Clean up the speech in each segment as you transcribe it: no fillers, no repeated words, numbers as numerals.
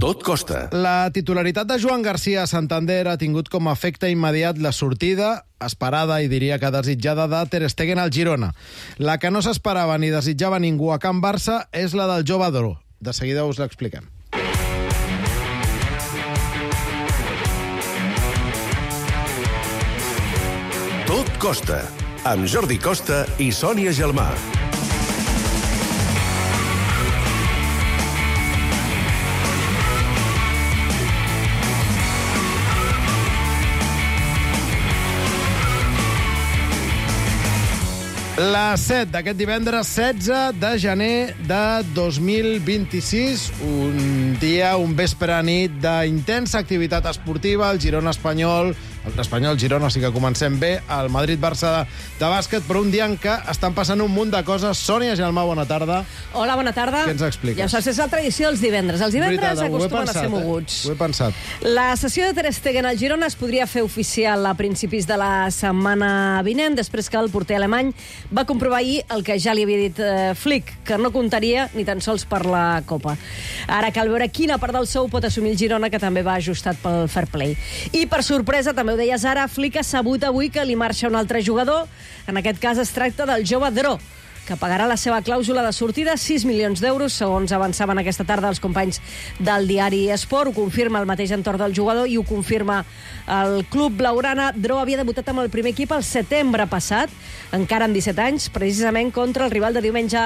Tot costa. La titularitat de Joan Garcia a Santander ha tingut com a efecte immediat la sortida esperada i diria que desitjada de Ter Stegen al Girona. La que no s'esperava ni desitjava ningú a Can Barça és la del jove Dro. De seguida us l'expliquem. Tot costa, amb Jordi Costa i Sònia Gelmà. La 7 d'aquest divendres 16 de gener de 2026, un dia, un vespre nit d'intensa activitat esportiva, el Girona espanyol, Girona, sí que comencem bé, el Madrid-Barça de bàsquet, però un dia en què estan passant un munt de coses. Sònia Gelmà, bona tarda. Hola, bona tarda. Què ens expliques? Ja saps, és la tradició dels divendres. Els divendres acostumen a ser moguts. Ho he pensat. La sessió de Ter Stegen al Girona es podria fer oficial a principis de la setmana vinent, després que el porter alemany va comprovar ahir el que ja li havia dit Flick, que no comptaria ni tan sols per la Copa. Ara cal veure quina part del sou pot assumir el Girona, que també va ajustat pel fair play. I per sorpresa, també ho deies ara, Flick ha sabut avui que li marxa un altre jugador. En aquest cas es tracta del jove Dro, que pagarà la seva clàusula de sortida, 6 milions d'euros, segons avançaven aquesta tarda els companys del diari Esport. Ho confirma el mateix entorn del jugador i ho confirma el club blaugrana. Dro havia debutat amb el primer equip el setembre passat, encara amb 17 anys, precisament contra el rival de diumenge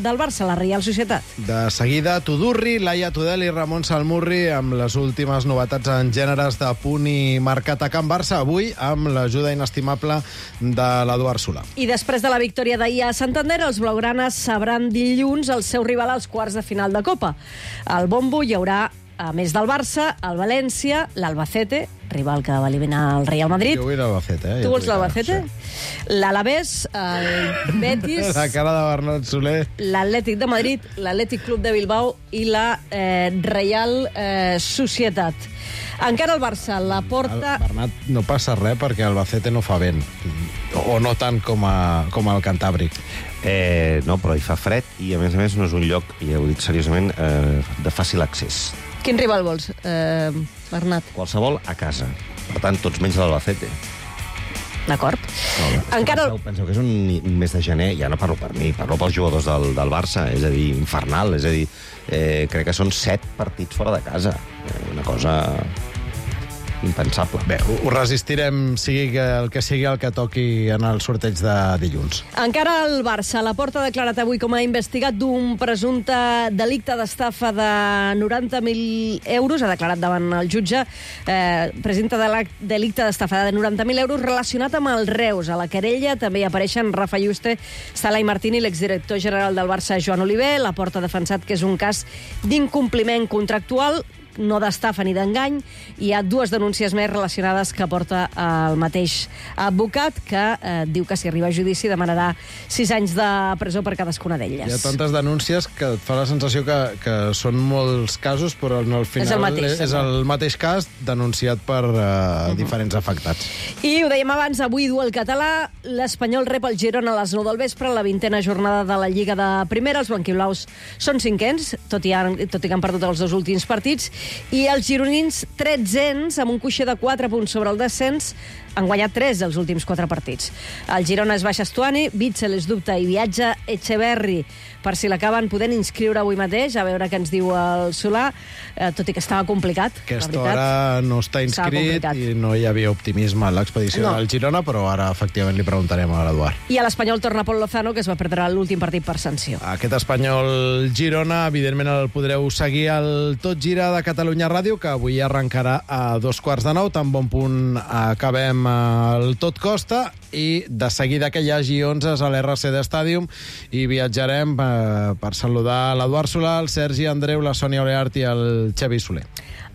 del Barça, la Reial Societat. De seguida, Tudurri, Laia Tudel i Ramon Salmurri amb les últimes novetats en gèneres de punt i marcat a Can Barça, avui amb l'ajuda inestimable de l'Eduard Solà. I després de la victòria d'ahir a Santander, els blaugranes sabran dilluns el seu rival als quarts de final de Copa. Al bombo hi haurà, a més del Barça, el València, l'Albacete, rival que va eliminar el Real Madrid. Jo vull l'Albacete, Tu vols l'Albacete? Sí. L'Alavés, el Betis... La cara de Bernat Soler. L'Atlètic de Madrid, l'Atlètic Club de Bilbao i la Reial Societat. Encara el Barça, la porta... Bernat, no passa res perquè Albacete no fa vent. O no tant com el Cantàbric. No, però hi fa fred i, a més no és un lloc, i ho dic seriosament, de fàcil accés. Quin rival vols, Bernat? Qualsevol a casa. Per tant, tots menys l'Albacete. D'acord. Encara... Penseu que és un mes de gener, ja no parlo per mi, parlo pels jugadors del Barça, és a dir, infernal, és a dir, crec que són 7 partits fora de casa. Una cosa impensable. Bé, ho resistirem, sigui el que toqui en el sorteig de dilluns. Encara el Barça. La Porta ha declarat avui com a investigat d'un presumpte delicte d'estafa de 90.000 euros. Ha declarat davant el jutge presumpte delicte d'estafa de 90.000 euros relacionat amb el Reus. A la querella també hi apareixen Rafa Yuste, Sala i Martini, l'exdirector general del Barça, Joan Oliver. La Porta ha defensat que és un cas d'incompliment contractual, no d'estafa ni d'engany. Hi ha 2 denúncies més relacionades que porta el mateix advocat, que diu que si arriba a judici demanarà 6 anys de presó per cadascuna d'elles. Hi ha tantes denúncies que et fa la sensació que són molts casos, però al final és el mateix cas denunciat per diferents afectats. I ho dèiem abans, avui du el català. L'Espanyol rep el Girona a les 9 del vespre, la 20a jornada de la Lliga de Primera. Els blanquiblaus són 5ens, tot i que han perdut els 2 últims partits. I els gironins, 13ens, amb un coixer de 4 punts sobre el descens, han guanyat 3 dels últims 4 partits. El Girona és baixa Estuani, Bitzel és dubte i viatja Echeverri, per si l'acaben podent inscriure avui mateix, a veure què ens diu el Solà, tot i que estava complicat. Aquesta hora no està inscrit i no hi havia optimisme a l'expedició del Girona, però ara efectivament li preguntarem a l'Eduard. I a l'Espanyol torna Pol Lozano, que es va perdre l'últim partit per sanció. Aquest Espanyol-Girona, evidentment el podreu seguir al Tot Gira de Catalunya Ràdio, que avui arrencarà a 2:15, tan bon punt acabem el Tot Costa, i de seguida que hi hagi 11 a l'RCD Stadium i viatjarem per saludar l'Eduard Solà, el Sergi Andreu, la Sònia Oleart i el Xavi Soler.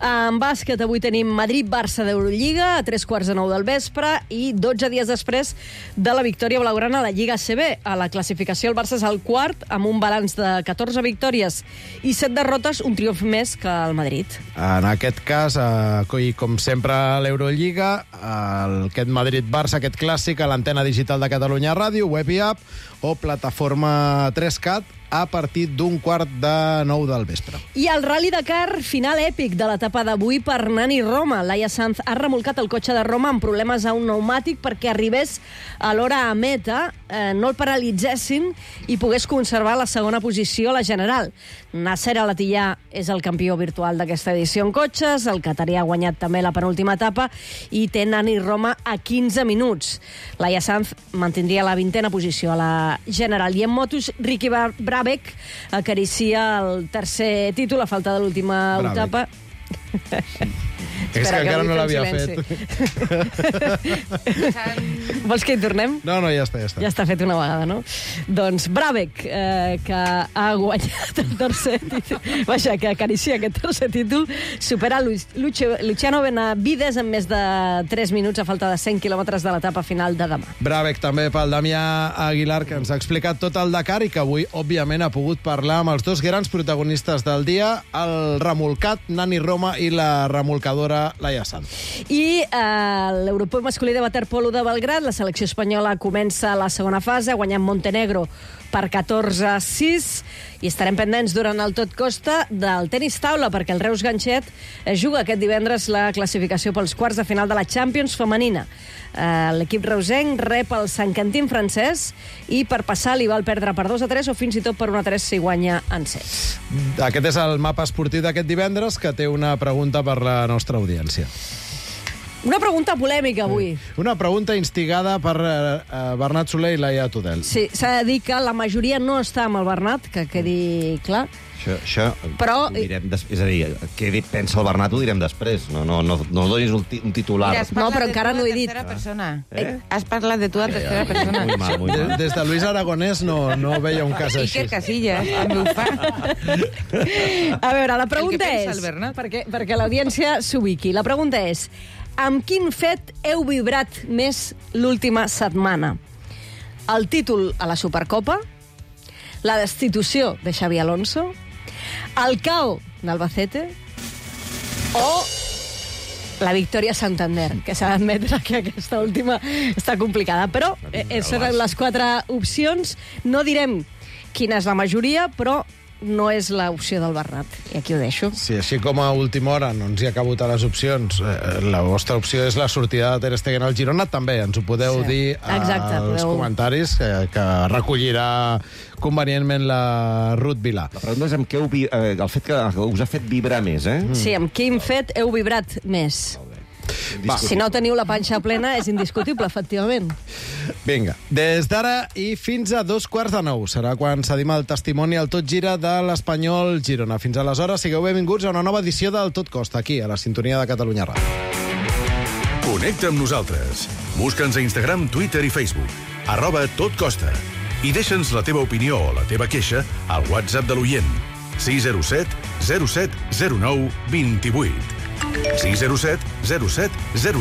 En bàsquet avui tenim Madrid-Barça d'Eurolliga a 8:45 del vespre i 12 dies després de la victòria blaugrana a la Lliga ACB. A la classificació el Barça és el quart amb un balanç de 14 victòries i 7 derrotes, un triomf més que el Madrid. En aquest cas, i com sempre a l'Eurolliga, aquest Madrid-Barça, aquest clàssic a l'antena digital de Catalunya Ràdio, web i app o plataforma 3CAT, a partir d'8:45 del vespre. I el Rally Dakar, final èpic de l'etapa d'avui per Nani Roma. Laia Sanz ha remolcat el cotxe de Roma amb problemes a un pneumàtic perquè arribés a l'hora a meta, no el paralitzessin i pogués conservar la segona posició a la general. Nasser Al-Attiyah és el campió virtual d'aquesta edició en cotxes, el catarí ha guanyat també la penúltima etapa i té Nani Roma a 15 minuts. Laia Sanz mantindria la 20ª posició a la general. I en motos, Ricky Brabec acaricia el tercer títol a falta de l'última etapa. És que encara no l'havia fet. Vols que hi tornem? No, ja està. Ja està fet una vegada, no? Doncs Brabec, que ha guanyat el tercer títol, vaja, que acaricia aquest tercer títol, supera Luciano Benavides en més de 3 minuts a falta de 100 quilòmetres de l'etapa final de demà. Brabec també pel Damià Aguilar, que ens ha explicat tot el Dakar i que avui, òbviament, ha pogut parlar amb els dos grans protagonistes del dia, el remolcat Nani Roma i la remolcadora Laia Sanz. I l'Europeu masculí de waterpolo de Belgrad, la selecció espanyola comença la segona fase, guanyant Montenegro per 14-6, i estarem pendents durant el Tot Costa del tenis taula, perquè el Reus Ganxet juga aquest divendres la classificació pels quarts de final de la Champions femenina. L'equip reusenc rep el Sant Quentin francès i per passar li val perdre per 2-3 o fins i tot per 1-3 si guanya en sets. Aquest és el mapa esportiu d'aquest divendres, que té una pregunta per la nostra audiència. Una pregunta polèmica avui. Una pregunta instigada per Bernat Soler i Laia Tudel. Sí, s'ha de dir que la majoria no està amb el Bernat, que quedi clar. Això però... direm és a dir, què pensa el Bernat ho direm després. No donis un titular. Mira, no, però encara no he dit. Has parlat de tu en tercera persona. Muy mal. Des de Luis Aragonès no veia un cas així. Iker Casillas, també ho fa. A veure, la pregunta El que pensa és... el Bernat. Perquè l'audiència s'ubiqui. La pregunta és: amb quin fet heu vibrat més l'última setmana? El títol a la Supercopa? La destitució de Xabi Alonso? El KO d'Albacete? O la victòria a Santander, que s'ha d'admetre que aquesta última està complicada. Però són les 4 opcions. No direm quina és la majoria, però no és l'opció del Bernat. I aquí ho deixo. Sí, així com a última hora no ens hi ha cabut a les opcions, la vostra opció és la sortida de Ter Stegen al Girona, també ens ho podeu dir als comentaris, que recollirà convenientment la Ruth Vilà. La pregunta és amb què el fet que us ha fet vibrar més, eh? Sí, amb quin fet heu vibrat més? Va. Si no teniu la panxa plena, és indiscutible, efectivament. Vinga, des d'ara i fins a 8:45 serà quan cedim el testimoni al Tot Gira de l'Espanyol Girona. Fins aleshores, sigueu benvinguts a una nova edició del Tot Costa, aquí, a la sintonia de Catalunya Ràdio. Connecta amb nosaltres. Busca'ns a Instagram, Twitter i Facebook. @totcosta. I deixa'ns la teva opinió o la teva queixa al WhatsApp de l'oient. 607 07 09 28. 607 07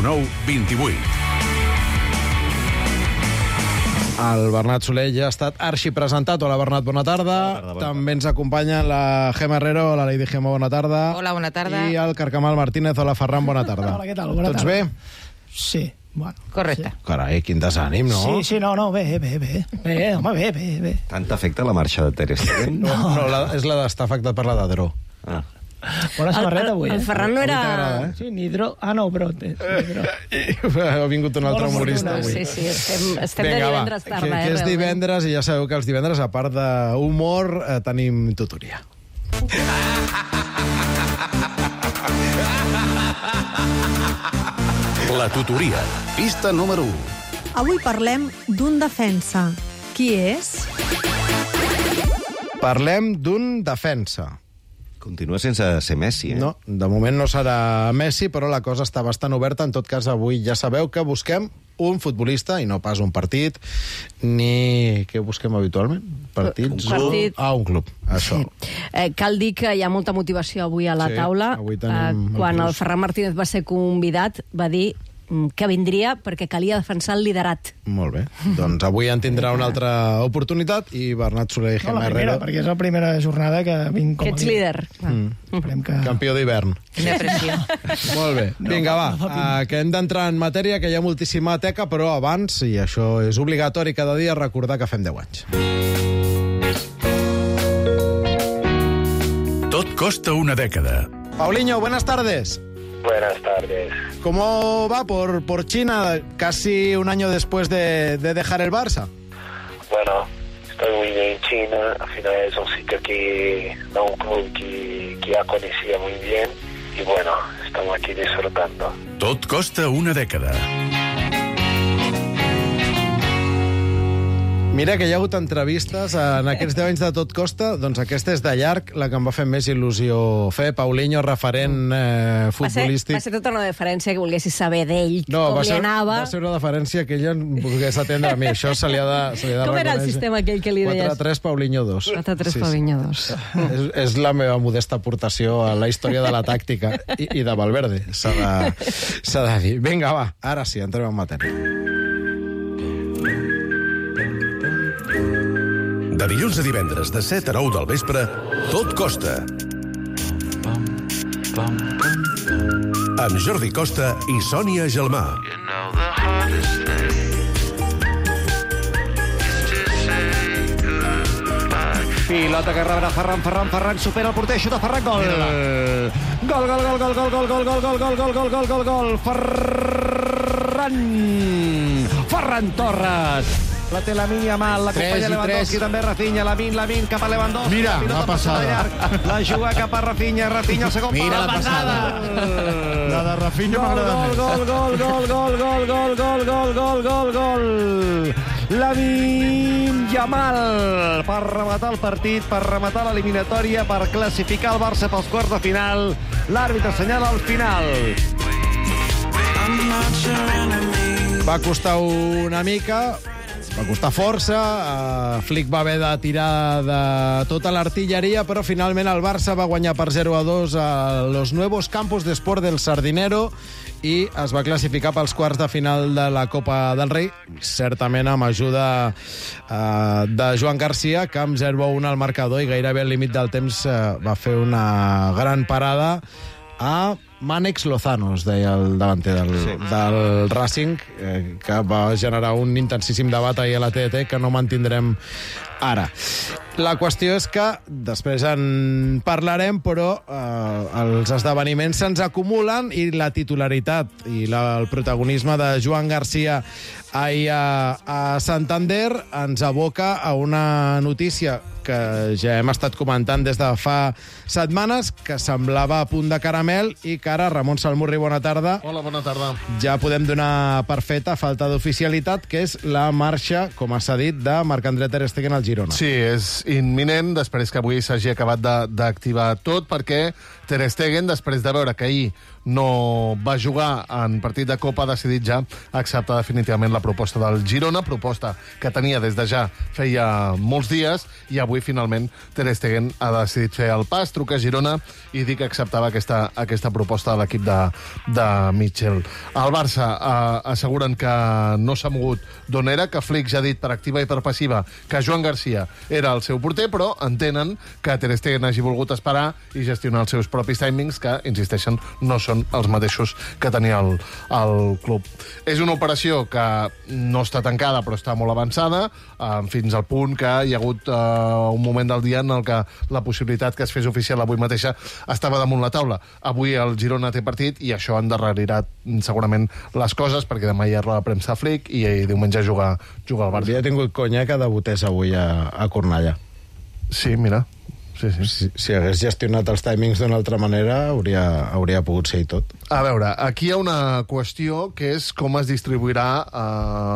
09 28. El Bernat Soler ja ha estat arxipresentat. Hola, Bernat, bona tarda. Bona tarda. També ens acompanya la Gemma Herrero. Hola, Lady Gemma, bona tarda. Hola, bona tarda. I el Carcamal Martínez. Hola, Ferran, bona tarda. Hola, què tal? Bona Tots tarda. bé? Sí, bueno. Correcte. Sí. Carai, quin desànim, no? Sí, no, bé. Bé, home, bé. Tant afecta la marxa de Ter Stegen? No, és la d'estar afectat per la d'Adró. Ah. Bona samarreta avui, El Ferran no Avui era... t'agrada, Sí, Nidro... Ah, no, però... Ha vingut un altre Bona humorista fortuna, avui. Sí, estem de Vinga, divendres tarda, que és realment. divendres, i ja sabeu que els divendres, a part d'humor, tenim tutoria. La tutoria. Pista número 1. Avui parlem d'un defensa. Qui és? Parlem d'un defensa. Continua sense ser Messi, eh? No, de moment no serà Messi, però la cosa està bastant oberta. En tot cas, avui ja sabeu que busquem un futbolista, i no pas un partit, ni... Què busquem habitualment? Partits? Un partit. Un club, això. Sí. Cal dir que hi ha molta motivació avui a la Sí, taula. avui tenim Quan el el Ferran Martínez va ser convidat, va dir que vindria perquè calia defensar el liderat. Molt bé. Doncs avui en tindrà una altra oportunitat i Bernat Soler i No, Gemma la primera, Herrero, perquè és la primera jornada que vinc com Que a ets líder. Esperem que... campió d'hivern. Quina pressió. Molt bé. Vinga, va, que hem d'entrar en matèria, que hi ha moltíssima teca, però abans, i això és obligatori cada dia, recordar que fem 10 anys. costa una dècada. Paulinho, buenas tardes. Buenas tardes. ¿Cómo va por China casi un año después de dejar el Barça? Bueno, estoy muy bien en China. Al final es un sitio un club que ya conocía muy bien. Y bueno, estamos aquí disfrutando. Tot costa una dècada. Mira que hi ha hagut entrevistes en aquests 10 anys de Tot Costa, doncs aquesta és de llarg la que em va fer més il·lusió fer. Paulinho, referent futbolístic. Va ser tota una deferència que volguessis saber d'ell, com li anava. Va ser una deferència que ella volgués atendre a mi. Això se li ha de reconèixer. Com era el sistema aquell que li deies? 4-3, Paulinho 2. 4-3, Paulinho 2. És la meva modesta aportació a la història de la tàctica i de Valverde, s'ha de dir. Vinga, va, ara sí, entrem en matèria. De dilluns a divendres, de 7 a 9 del vespre, Tot Costa. Amb Jordi Costa i Sònia Gelmà. Pilota que rebrà Ferran, supera el porter, xuta Ferran, gol! Gol! Ferran Torres! La té Lamine Yamal, l'acompanya Lewandowski, també Rafinha, Lamine cap a Lewandowski. Mira, la passada. La juga cap a Rafinha, el segon pal, la passada. La de Rafinha m'agrada més. Gol. Lamine Yamal per rematar el partit, per rematar l'eliminatòria, per classificar el Barça pels quarts de final. L'àrbitre assenyala al final. Va costar una mica, va costar força, Flick va haver de tirar de tota l'artilleria, però finalment el Barça va guanyar per 0-2 a los nuevos campos de sport del Sardinero i es va classificar pels quarts de final de la Copa del Rei, certament amb ajuda de Joan Garcia, que amb 0-1 al marcador i gairebé al límit del temps va fer una gran parada a Mànex Lozano, es deia el davanter del Racing, que va generar un intensíssim debat ahir a la TDT que no mantindrem ara. La qüestió és que després en parlarem, però els esdeveniments se'ns acumulen i la titularitat i el protagonisme de Joan Garcia ahir a Santander ens aboca a una notícia que ja hem estat comentant des de fa setmanes, que semblava a punt de caramel i que ara, Ramon Salmurri, bona tarda. Hola, bona tarda. Ja podem donar per feta, falta d'oficialitat, que és la marxa, com s'ha dit, de Marc-André Ter Stegen al Girona. Sí, és imminent, després que avui s'hagi acabat d'activar tot, perquè Ter Stegen, després de veure que ahir no va jugar en partit de Copa, ha decidit ja acceptar definitivament la proposta del Girona, proposta que tenia des de ja feia molts dies, i avui finalment Ter Stegen ha decidit fer el pas, trucar a Girona i dir que acceptava aquesta proposta de l'equip de Mitchell. El Barça asseguren que no s'ha mogut d'on era, que Flick ja ha dit per activa i per passiva que Joan Garcia era el seu porter, però entenen que Ter Stegen hagi volgut esperar i gestionar els seus propis timings, que, insisteixen, no són els mateixos que tenia el club. És una operació que no està tancada, però està molt avançada, fins al punt que hi ha hagut un moment del dia en el que la possibilitat que es fes oficial avui mateixa estava damunt la taula. Avui el Girona té partit i això endarrerirà segurament les coses, perquè demà hi ha roda de premsa a Flick i diumenge juga al Barça. Havia tingut conya que debutés avui a Cornellà. Sí, mira. Sí. Si hagués gestionat els timings d'una altra manera, hauria pogut ser i tot. A veure, aquí hi ha una qüestió que és com es distribuirà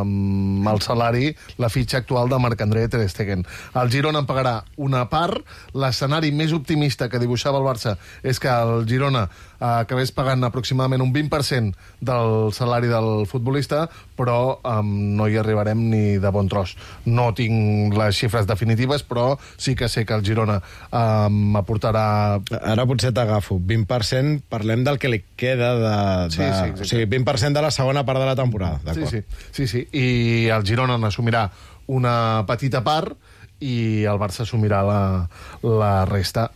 el salari, la fitxa actual de Marc-André Ter Stegen. El Girona en pagarà una part. L'escenari més optimista que dibuixava el Barça és que el Girona acabés pagant aproximadament un 20% del salari del futbolista, però no hi arribarem ni de bon tros. No tinc les xifres definitives, però sí que sé que el Girona m'aportarà... Ara potser t'agafo. 20%, parlem del que li queda Sí, o sigui, 20% de la segona part de la temporada. Sí. I el Girona n'assumirà una petita part i el Barça assumirà la resta.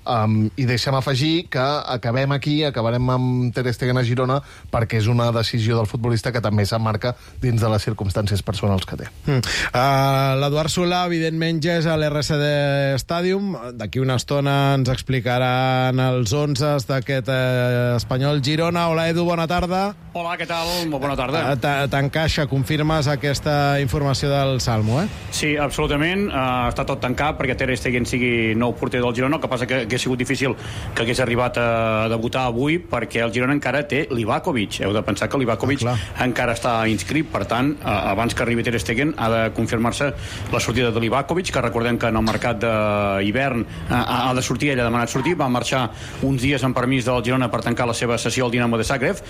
I deixa'm afegir que acabarem amb Ter Stegen a Girona, perquè és una decisió del futbolista que també s'emmarca dins de les circumstàncies personals que té. L'Eduard Solà, evidentment, ja és a l'RCD Stadium. D'aquí una estona ens explicaran els 11 d'aquest Espanyol Girona. Hola, Edu, bona tarda. Hola, què tal? Molt bona tarda. T'encaixa, confirmes aquesta informació del Salmo, Sí, absolutament. Està tot tancat perquè Ter Stegen sigui nou porter del Girona. El que passa que ha sigut difícil que hagués arribat a debutar avui, perquè el Girona encara té Livakovic. Heu de pensar que Livakovic encara està inscrit. Per tant, abans que arribi Ter Stegen ha de confirmar-se la sortida de Livakovic, que recordem que en el mercat d'hivern ha de sortir, ell ha demanat sortir, va marxar uns dies en permís del Girona per tancar la seva sessió al Dinamo de Zagreb.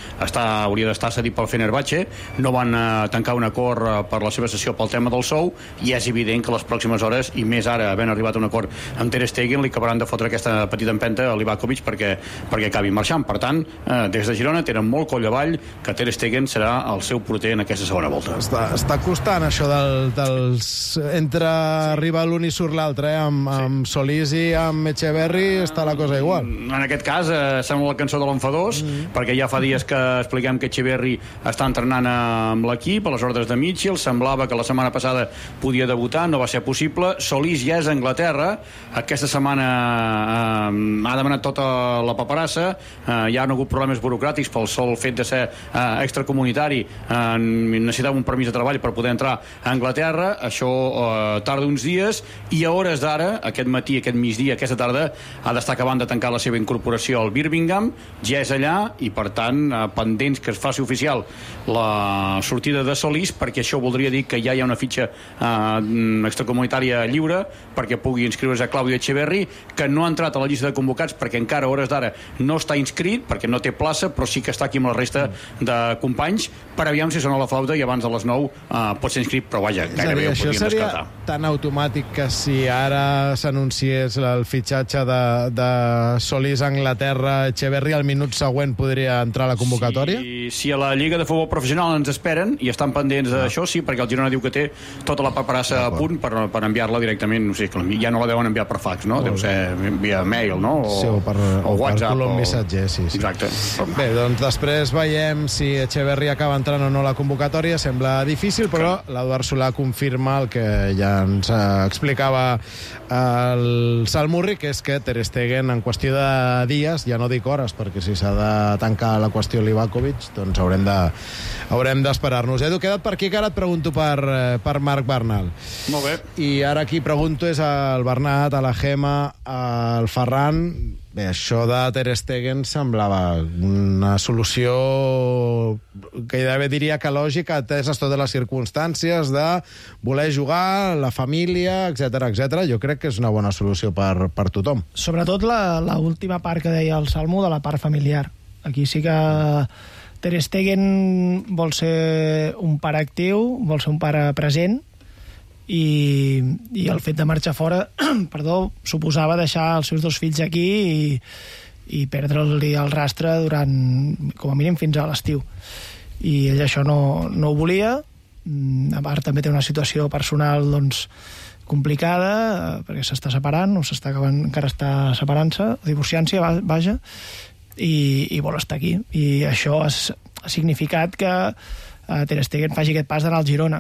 Hauria d'estar cedit pel Fenerbahçe. No van tancar un acord per la seva sessió pel tema del sou, i és evident que les pròximes hores, i més ara, havent arribat a un acord amb Ter Stegen, li acabaran de fotre aquesta petita empenta a Livakovic perquè acabi marxant. Per tant, des de Girona tenen molt coll avall que Ter Stegen serà el seu porter en aquesta segona volta. Està costant això entre arriba l'un i surt l'altre, amb Solís i amb Echeverri està la cosa igual. En aquest cas sembla la cançó de l'enfadós, perquè ja fa dies que expliquem que Echeverri està entrenant amb l'equip a les ordres de Mitchell. Semblava que la setmana passada podia debutar, no va ser possible. Solís ja és a Anglaterra, aquesta setmana ha demanat tota la paperassa, hi ha hagut problemes burocràtics pel sol fet de ser extracomunitari, necessitava un permís de treball per poder entrar a Anglaterra. Això tarda uns dies, i a hores d'ara, aquest matí, aquest migdia, aquesta tarda, ha d'estar acabant de tancar la seva incorporació al Birmingham, ja és allà, i per tant pendents que es faci oficial la sortida de Solís, perquè això voldria dir que ja hi ha una fitxa extracomunitària lliure perquè pugui inscriure's a Claudio Echeverri, que no ha entrat a la llista de convocats perquè encara a hores d'ara no està inscrit, perquè no té plaça, però sí que està aquí amb la resta de companys, per aviam si sona la flauta i abans de les 9 pot ser inscrit, però vaja, gairebé ho podríem descartar. Això seria tan automàtic que si ara s'anunciés el fitxatge de Solís a Anglaterra, Echeverri al minut següent podria entrar a la convocatòria? Si a la Lliga de Futbol Professional ens esperen i estan pendents d'això, sí, perquè el Girona diu que té tota la paperassa a punt per enviar-la directament, no sé, ja no la deuen enviar per fax, no? Deu ser via mail, no? O per WhatsApp. Per missatger, sí. Exacte. Bé, doncs després veiem si Echeverri acaba entrant o no a la convocatòria. Sembla difícil, però l'Eduard Solà confirma el que ja ens explicava el Salmurri, que és que Ter Stegen en qüestió de dies, ja no dic hores, perquè si s'ha de tancar la qüestió Livakovic, doncs haurem d'esperar-nos. Edu, queda't per aquí, que ara et pregunto per Marc Bernal. Molt bé. I ara qui pregunto és al Bernat, a la Gemma, al Ferran. Bé, això de Ter Stegen semblava una solució que gairebé diria que lògica, ateses totes les circumstàncies de voler jugar, la família, etc. Jo crec que és una bona solució per tothom. Sobretot l'última part que deia el Salmo, de la part familiar. Aquí sí que Ter Stegen vol ser un pare actiu, vol ser un pare present, i el fet de marxar fora suposava deixar els seus dos fills aquí i perdre-li el rastre durant, com a mínim, fins a l'estiu. I ell això no ho volia. A part, també té una situació personal complicada, perquè s'està separant, o encara està separant-se, divorciant-se, vaja, i vol estar aquí. I això ha significat que Ter Stegen faci aquest pas d'anar al Girona,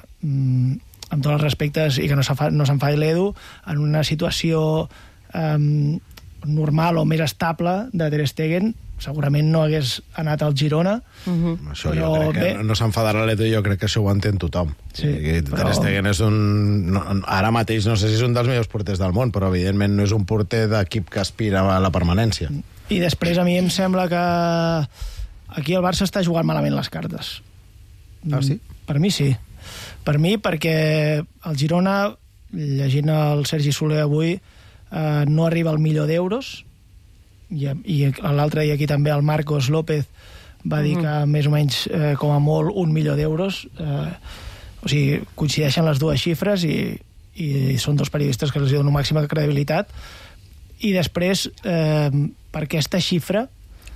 amb tots els respectes, i que no s'enfadi l'Edu, en una situació normal o més estable de Ter Stegen, segurament no hagués anat al Girona. Això jo crec que no s'enfadarà l'Edu, jo crec que això ho entén tothom. Ter Stegen és ara mateix, no sé si és un dels millors porters del món, però evidentment no és un porter d'equip que aspira a la permanència. I després a mi em sembla que aquí el Barça està jugant malament les cartes. Ah, sí? Per mi sí. Per mi, perquè el Girona, llegint el Sergi Soler avui, no arriba al €1.000.000, i l'altre dia aquí també el Marcos López va dir que més o menys, com a molt, €1.000.000. O sigui, coincideixen les dues xifres i són dos periodistes que els donen màxima credibilitat. I després, per aquesta xifra,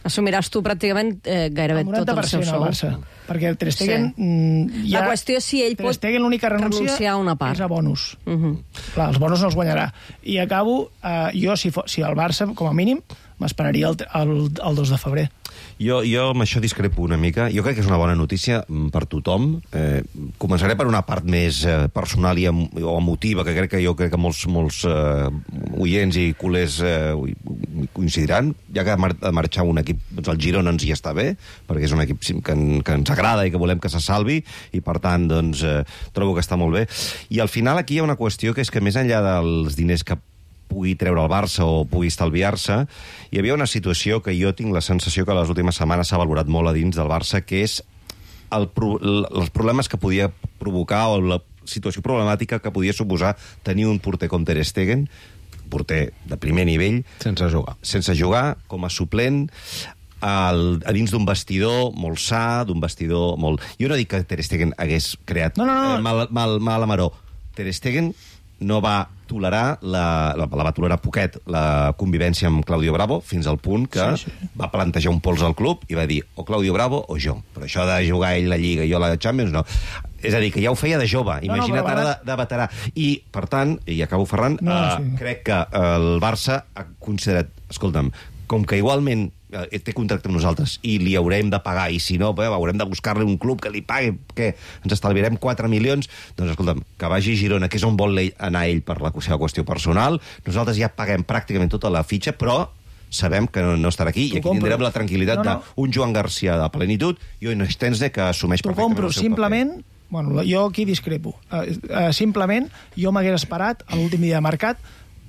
Assumiràs tu pràcticament gairebé tot el seu sou. El Barça, perquè el Ter Stegen... La qüestió és si ell pot renunciar a una part. És a bonus. Clar, els bonus no els guanyarà. I acabo, jo, si el Barça, com a mínim, m'esperaria el 2 de febrer. Jo amb això discrepo una mica. Jo crec que és una bona notícia per tothom. Començaré per una part més personal o emotiva, que crec que molts oients i culers coincidiran. Ja que ha de marxar un equip, doncs el Girona ens hi està bé, perquè és un equip que ens agrada i que volem que se salvi, i per tant, doncs, trobo que està molt bé. I al final aquí hi ha una qüestió, que és que més enllà dels diners que pugui treure el Barça o pugui estalviar-se, hi havia una situació que jo tinc la sensació que les últimes setmanes s'ha valorat molt a dins del Barça, que és els problemes que podia provocar o la situació problemàtica que podia suposar tenir un porter com Ter Stegen, porter de primer nivell, sense jugar, com a suplent, a dins d'un vestidor molt sa, d'un vestidor molt... Jo no dic que Ter Stegen hagués creat mal amaró. Ter Stegen no va tolerar, va tolerar poquet la convivència amb Claudio Bravo, fins al punt que va plantejar un pols al club i va dir o Claudio Bravo o jo. Però això de jugar ell la Lliga i jo la Champions, no. És a dir, que ja ho feia de jove, imagina't ara de veterà. I, per tant, i acabo, Ferran, crec que el Barça ha considerat, escolta'm, com que igualment té contracte amb nosaltres i li haurem de pagar, i si no, haurem de buscar-li un club que li pagui, que ens estalviarem 4 milions, doncs escolta'm, que vagi a Girona, que és on vol anar ell per la seva qüestió personal, nosaltres ja paguem pràcticament tota la fitxa, però sabem que no estarà aquí, i aquí tindrem la tranquil·litat d'un Joan Garcia de plenitud i un Stenze que assumeix perfectament el seu simplement paper. Bueno, jo aquí discrepo. Simplement, jo m'hagués esperat a l'últim dia de mercat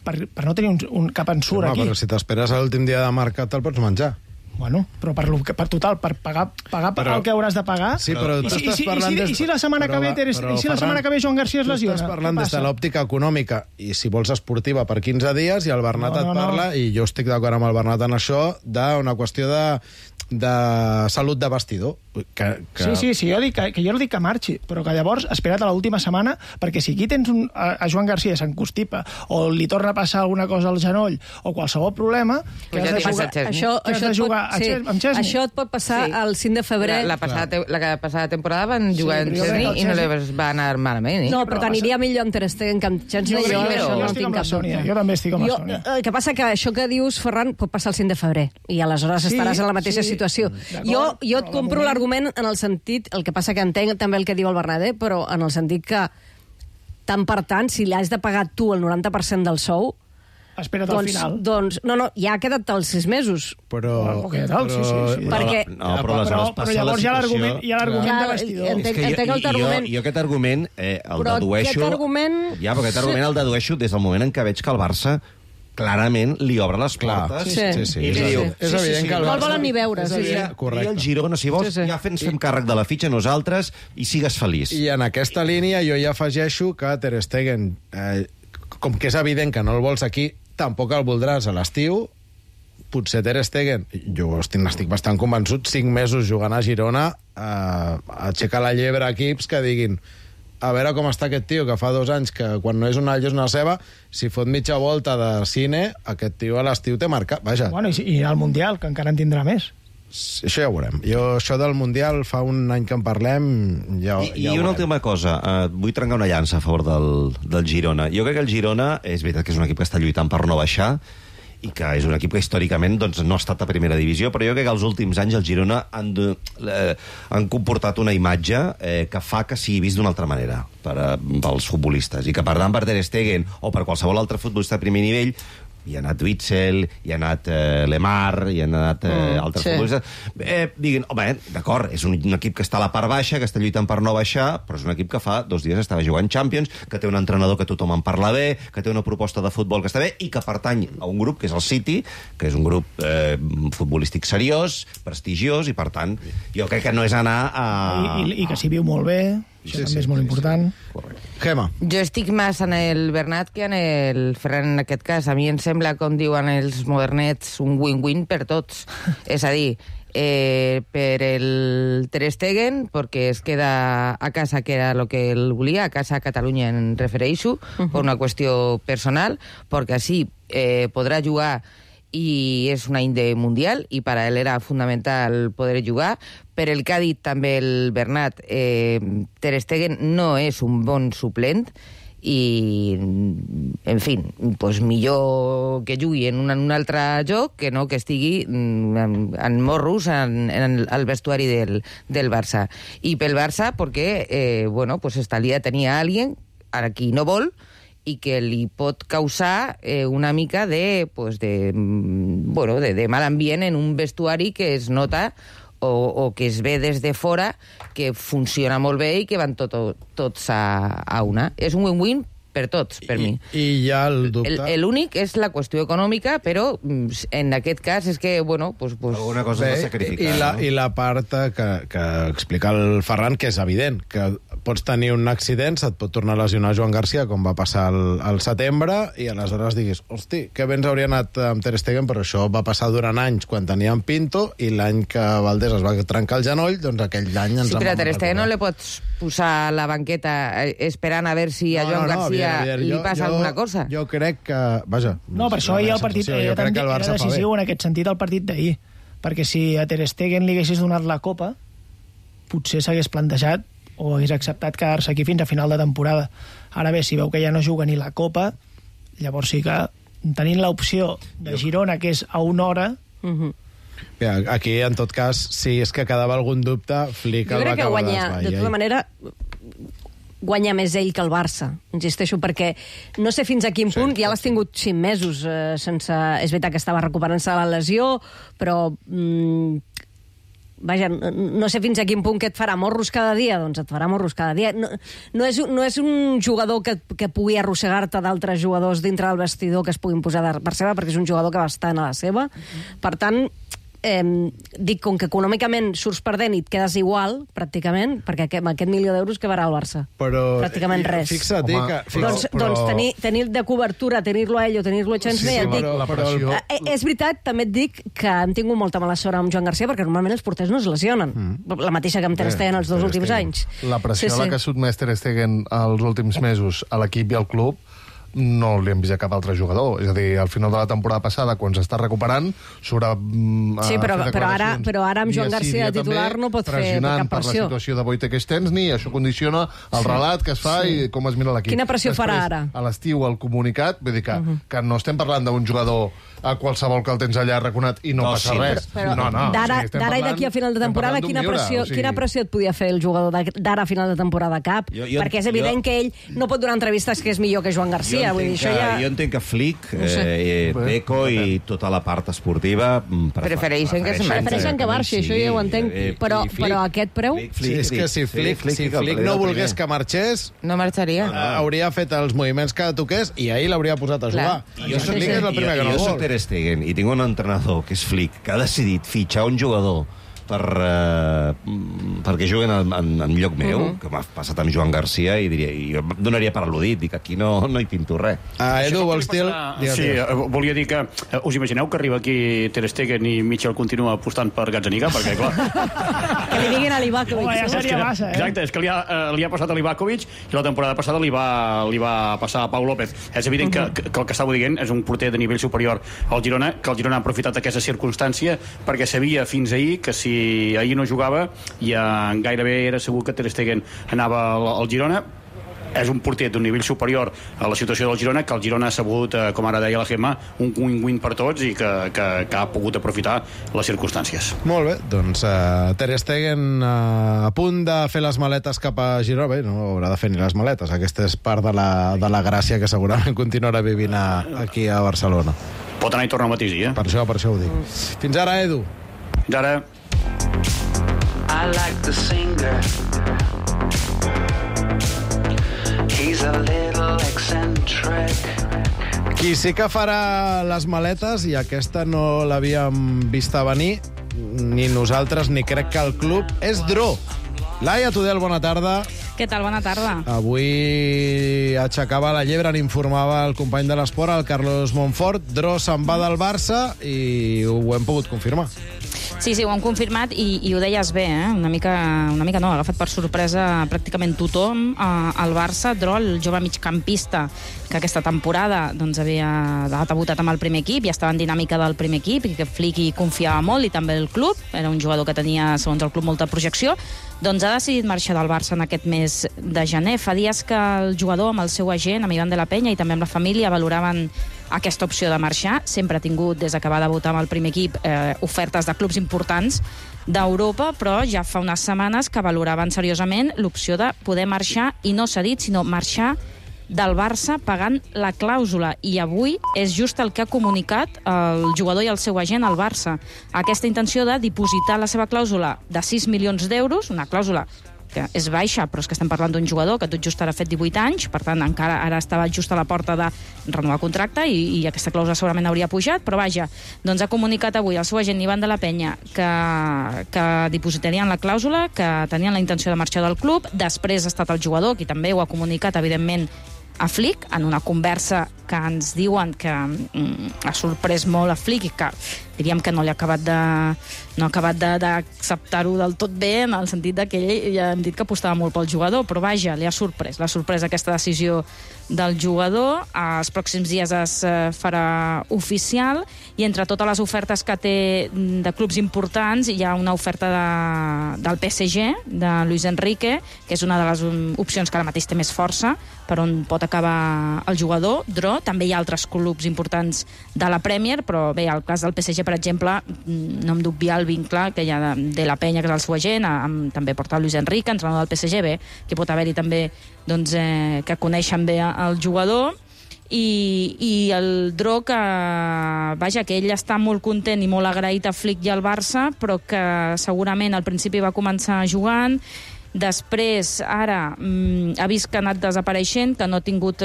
per no tenir cap ensurt aquí. Però si t'esperes a l'últim dia de mercat te'l pots menjar. Bueno, però per total, per pagar el que hauràs de pagar. Sí, però tu estàs parlant... I si la setmana que ve Joan Garcia es lesiona? Tu estàs parlant des de l'òptica econòmica, i si vols esportiva per 15 dies, i el Bernat et parla, i jo estic d'acord amb el Bernat en això, d'una qüestió de salut de vestidor. Sí, jo no dic que marxi, però que llavors espera't a l'última setmana, perquè si aquí tens a Joan Garcia s'encostipa o li torna a passar alguna cosa al genoll o qualsevol problema, que has de jugar amb Chesney. Això et pot passar el 5 de febrer. La passada temporada van jugar amb Chesney i no les va anar malament. No, però t'aniria millor amb Ter Stegen que amb Chesney. Jo estic amb la Sònia. Jo també estic amb la Sònia. El que passa que això que dius, Ferran, pot passar el 5 de febrer i aleshores estaràs en la mateixa situació. Jo et compro l'argument en el sentit, el que passa que entenc també el que diu el Bernat, però en el sentit que tant per tant, si li has de pagar tu el 90% del sou, espera't al final. Doncs, no, ja ha quedat els 6 mesos. Però perquè... Però llavors hi ha l'argument de vestidor. Entenc el argument. Jo aquest argument el dedueixo... Ja, però aquest argument el dedueixo des del moment en què veig que el Barça clarament li obre les portes. Sí. És evident que el Barça... No el volen ni veure. I el Girona, si vols, ja ens fem càrrec de la fitxa nosaltres i sigues feliç. I en aquesta línia jo ja afegeixo que Ter Stegen, com que és evident que no el vols aquí, tampoc el voldràs a l'estiu. Potser Ter Stegen, jo n'estic bastant convençut, 5 mesos jugant a Girona, aixecar la llebre a equips que diguin a veure com està aquest tio, que fa 2 anys que quan no és una és una ceba, si fot mitja volta de cine, aquest tio a l'estiu té marcat, vaja. Bueno, i al Mundial, que encara en tindrà més. Això ja ho veurem. Jo, això del Mundial, fa un any que en parlem, ja ho veurem. I una última cosa, vull trencar una llança a favor del Girona. Jo crec que el Girona, és veritat que és un equip que està lluitant per no baixar, i que és un equip que històricament doncs, no ha estat a primera divisió, però jo crec que els últims anys el Girona han comportat una imatge que fa que sigui vist d'una altra manera pels futbolistes, i que per tant per Ter Stegen o per qualsevol altre futbolista de primer nivell hi ha anat Witzel, hi ha anat Lemar, hi ha anat altres futbolistes. Diguin, home, d'acord, és un equip que està a la part baixa, que està lluitant per no baixar, però és un equip que fa 2 dies estava jugant Champions, que té un entrenador que tothom en parla bé, que té una proposta de futbol que està bé, i que pertany a un grup, que és el City, que és un grup futbolístic seriós, prestigiós, i per tant, jo crec que no és anar a... I que s'hi viu molt bé... Això també és molt important. Gemma. Jo estic més en el Bernat que en el Ferran en aquest cas. A mi em sembla, com diuen els modernets, un win-win per tots. És a dir, per el Ter Stegen, perquè es queda a casa, que era el que ell volia, a casa a Catalunya en refereixo, per una qüestió personal, perquè així podrà jugar i és un any de Mundial i per a ell era fundamental poder jugar. Per el que ha dit també el Bernat, Ter Stegen no és un bon suplent i, en fi, pues millor que jugui en un altre joc que no que estigui en morros en el vestuari del Barça. I pel Barça, perquè, bueno, pues estaria tenir a alguien a qui no vol i que li pot causar una mica de mal ambient en un vestuari que es nota o que es ve des de fora que funciona molt bé i que van tots a una. És un win-win per tots, per mi. I hi ha el dubte... L'únic és la qüestió econòmica, però en aquest cas és que, bueno... Alguna cosa s'ha sacrificat, I la part que explica el Ferran, que és evident, que pots tenir un accident, se't pot tornar a lesionar Joan Garcia, com va passar al setembre, i aleshores diguis, hosti, que bé ens hauria anat amb Ter Stegen, però això va passar durant anys quan teníem Pinto, i l'any que Valdés es va trencar el genoll, doncs aquell any ens en vam recordar. Sí, però a Ter Stegen no le pots posar a la banqueta esperant a veure si a Joan Garcia li passa alguna cosa. Jo crec que... Vaja... No, per això ahir el partit era decisiu en aquest sentit el partit d'ahir, perquè si a Ter Stegen li haguessis donat la Copa, potser s'hagués plantejat o hagués acceptat quedar-se aquí fins a final de temporada. Ara bé, si veu que ja no juga ni la Copa, llavors sí que tenint l'opció de Girona, que és a una hora... Aquí, en tot cas, si és que quedava algun dubte, Flick el va acabar d'esvair. De tota manera, guanya més ell que el Barça, insisteixo, perquè no sé fins a quin punt, ja l'has tingut 5 mesos sense... És veritat que estava recuperant-se de la lesió, però... Vaja, no sé fins a quin punt que et farà morros cada dia, doncs et farà morros cada dia. No és un jugador que pugui arrossegar-te d'altres jugadors dintre del vestidor que es puguin posar per seva, perquè és un jugador que va estar a la seva. Per tant, dic, com que econòmicament surts perdent i et quedes igual, pràcticament, perquè amb aquest $1.000.000 que varà el Barça. Però, pràcticament res. Fixa't, doncs tenir de cobertura, tenir-lo a ell o tenir-lo a Chance, et dic... És veritat, també et dic que hem tingut molta mala sort amb Joan Garcia, perquè normalment els porters no es lesionen. La mateixa que amb Ter Stegen els 2 últims anys. La pressió a la que ha sotmès Ter Stegen els últims mesos a l'equip i al club no li hem vist a cap altre jugador. És a dir, al final de la temporada passada, quan s'està recuperant, s'haurà sí, però ara amb Joan Garcia de titular no pot fer cap pressió. Per la situació de Wojtek Szczęsny, això condiciona el relat que es fa i com es mira l'equip. Quina pressió farà ara? A l'estiu, el comunicat, vull dir que no estem parlant d'un jugador a qualsevol que el tens allà raconat i no passa res. D'ara i d'aquí a final de temporada, quina pressió et podia fer el jugador d'ara a final de temporada cap? Perquè és evident que ell no pot donar entrevistes que és millor que Joan Garcia. Jo entenc que Flick, Deco i tota la part esportiva prefereixen que marxi, això ja ho entenc, però a aquest preu? És que si Flick no volgués que marxés, no marxaria. Hauria fet els moviments que toqués i ahir l'hauria posat a jugar. Jo soc Ter Stegen i tinc un entrenador, que és Flick, que ha decidit fitxar un jugador perquè juguen en lloc meu, que m'ha passat amb Joan Garcia, i jo donaria per al·ludit, dic, aquí no hi pinto res. Edu, vols dir... Sí, volia dir que us imagineu que arriba aquí Ter Stegen i Mitchell continua apostant per Gazzaniga, perquè, clar... Que li diguin a l'Ivakovic. Ja seria massa, Exacte, és que li ha passat a l'Ivakovic i la temporada passada li va passar a Pau López. És evident que el que estava dient és un porter de nivell superior al Girona, que el Girona ha aprofitat aquesta circumstància perquè sabia fins ahir que si ahir no jugava ja gairebé era segur que Ter Stegen anava al Girona. És un porter d'un nivell superior a la situació del Girona, que el Girona ha sabut, com ara deia la Gemma, un win-win per tots i que ha pogut aprofitar les circumstàncies. Molt bé, doncs Ter Stegen a punt de fer les maletes cap a Girona. Bé, no haurà de fer ni les maletes. Aquesta és part de la gràcia que segurament continuarà vivint aquí a Barcelona. Pot anar i tornar al mateix dia. Per això ho dic. Fins ara, Edu. Fins ara. I like the singer. He's a little eccentric. Qui sí que farà les maletes, i aquesta no l'havíem vista venir, ni nosaltres ni crec que el club, és Dro. Laia Tudel, bona tarda. Què tal? Bona tarda. Avui aixecava la llebre, n'informava el company de l'esport, el Carlos Monfort. Dro se'n va del Barça i ho hem pogut confirmar. Sí, ho hem confirmat i ho deies bé, una mica no, ha agafat per sorpresa pràcticament tothom al Barça. Dro, el jove migcampista que aquesta temporada doncs, havia debutat amb el primer equip i estava en dinàmica del primer equip i que Flick hi confiava molt i també el club, era un jugador que tenia, segons el club, molta projecció, doncs ha decidit marxar del Barça en aquest mes de gener. Fa dies que el jugador amb el seu agent, amb Ivan de la Peña i també amb la família, valoraven aquesta opció de marxar. Sempre ha tingut, des que va debutar amb el primer equip, ofertes de clubs importants d'Europa, però ja fa unes setmanes que valoraven seriosament l'opció de poder marxar, i no s'ha dit, sinó marxar del Barça pagant la clàusula, i avui és just el que ha comunicat el jugador i el seu agent al Barça. Aquesta intenció de dipositar la seva clàusula de 6 milions d'euros, una clàusula que és baixa, però és que estem parlant d'un jugador que tot just ara ha fet 18 anys, per tant encara ara estava just a la porta de renovar contracte i aquesta clàusula segurament hauria pujat, però vaja, doncs ha comunicat avui el seu agent Ivan de la Peña que dipositarien la clàusula, que tenien la intenció de marxar del club. Després ha estat el jugador qui també ho ha comunicat, evidentment, a Flick, en una conversa que ens diuen que ha sorprès molt a Flick i que diríem que no ha acabat d'acceptar-ho del tot bé, en el sentit que ell ja hem dit que apostava molt pel jugador, però vaja, l'ha sorprès aquesta decisió del jugador. Els pròxims dies es farà oficial i entre totes les ofertes que té de clubs importants hi ha una oferta del PSG, de Luis Enrique, que és una de les opcions que ara mateix té més força per on pot acabar el jugador. Dro, també hi ha altres clubs importants de la Premier, però bé, el cas del PSG, per exemple, no hem d'obviar el vincle que hi ha de la Peña, que és el seu agent, també porta Luis Enrique, entrenador del PSG, bé, que pot haver-hi també doncs, que coneixen bé el jugador, i el Dro, que vaja, que ell està molt content i molt agraït a Flick i al Barça, però que segurament al principi va començar jugant, després ara ha vist que ha anat desapareixent, que no ha tingut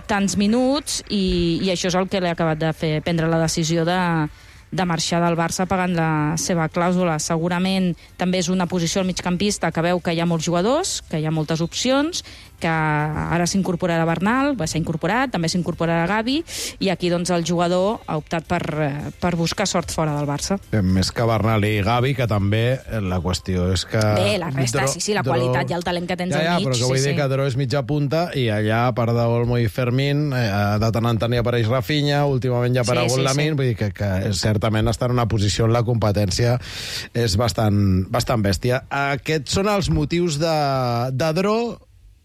tants minuts, i això és el que li ha acabat de fer prendre la decisió de marxar del Barça pagant la seva clàusula. Segurament també és una posició al migcampista que veu que hi ha molts jugadors, que hi ha moltes opcions, que ara s'incorporarà Bernal, s'ha incorporat, també s'incorporarà Gavi, i aquí doncs el jugador ha optat per buscar sort fora del Barça. Més que Bernal i Gavi, que també la qüestió és que... Bé, la resta, sí, la qualitat i el talent que tens al mig. Però que vull dir que Dro és mitja punta, i allà, a part d'Olmo i Fermín, de tant en tant hi apareix Rafinha, últimament ja ha aparegut Lamine, vull dir que certament està en una posició on la competència és bastant bèstia. Aquests són els motius de Dro,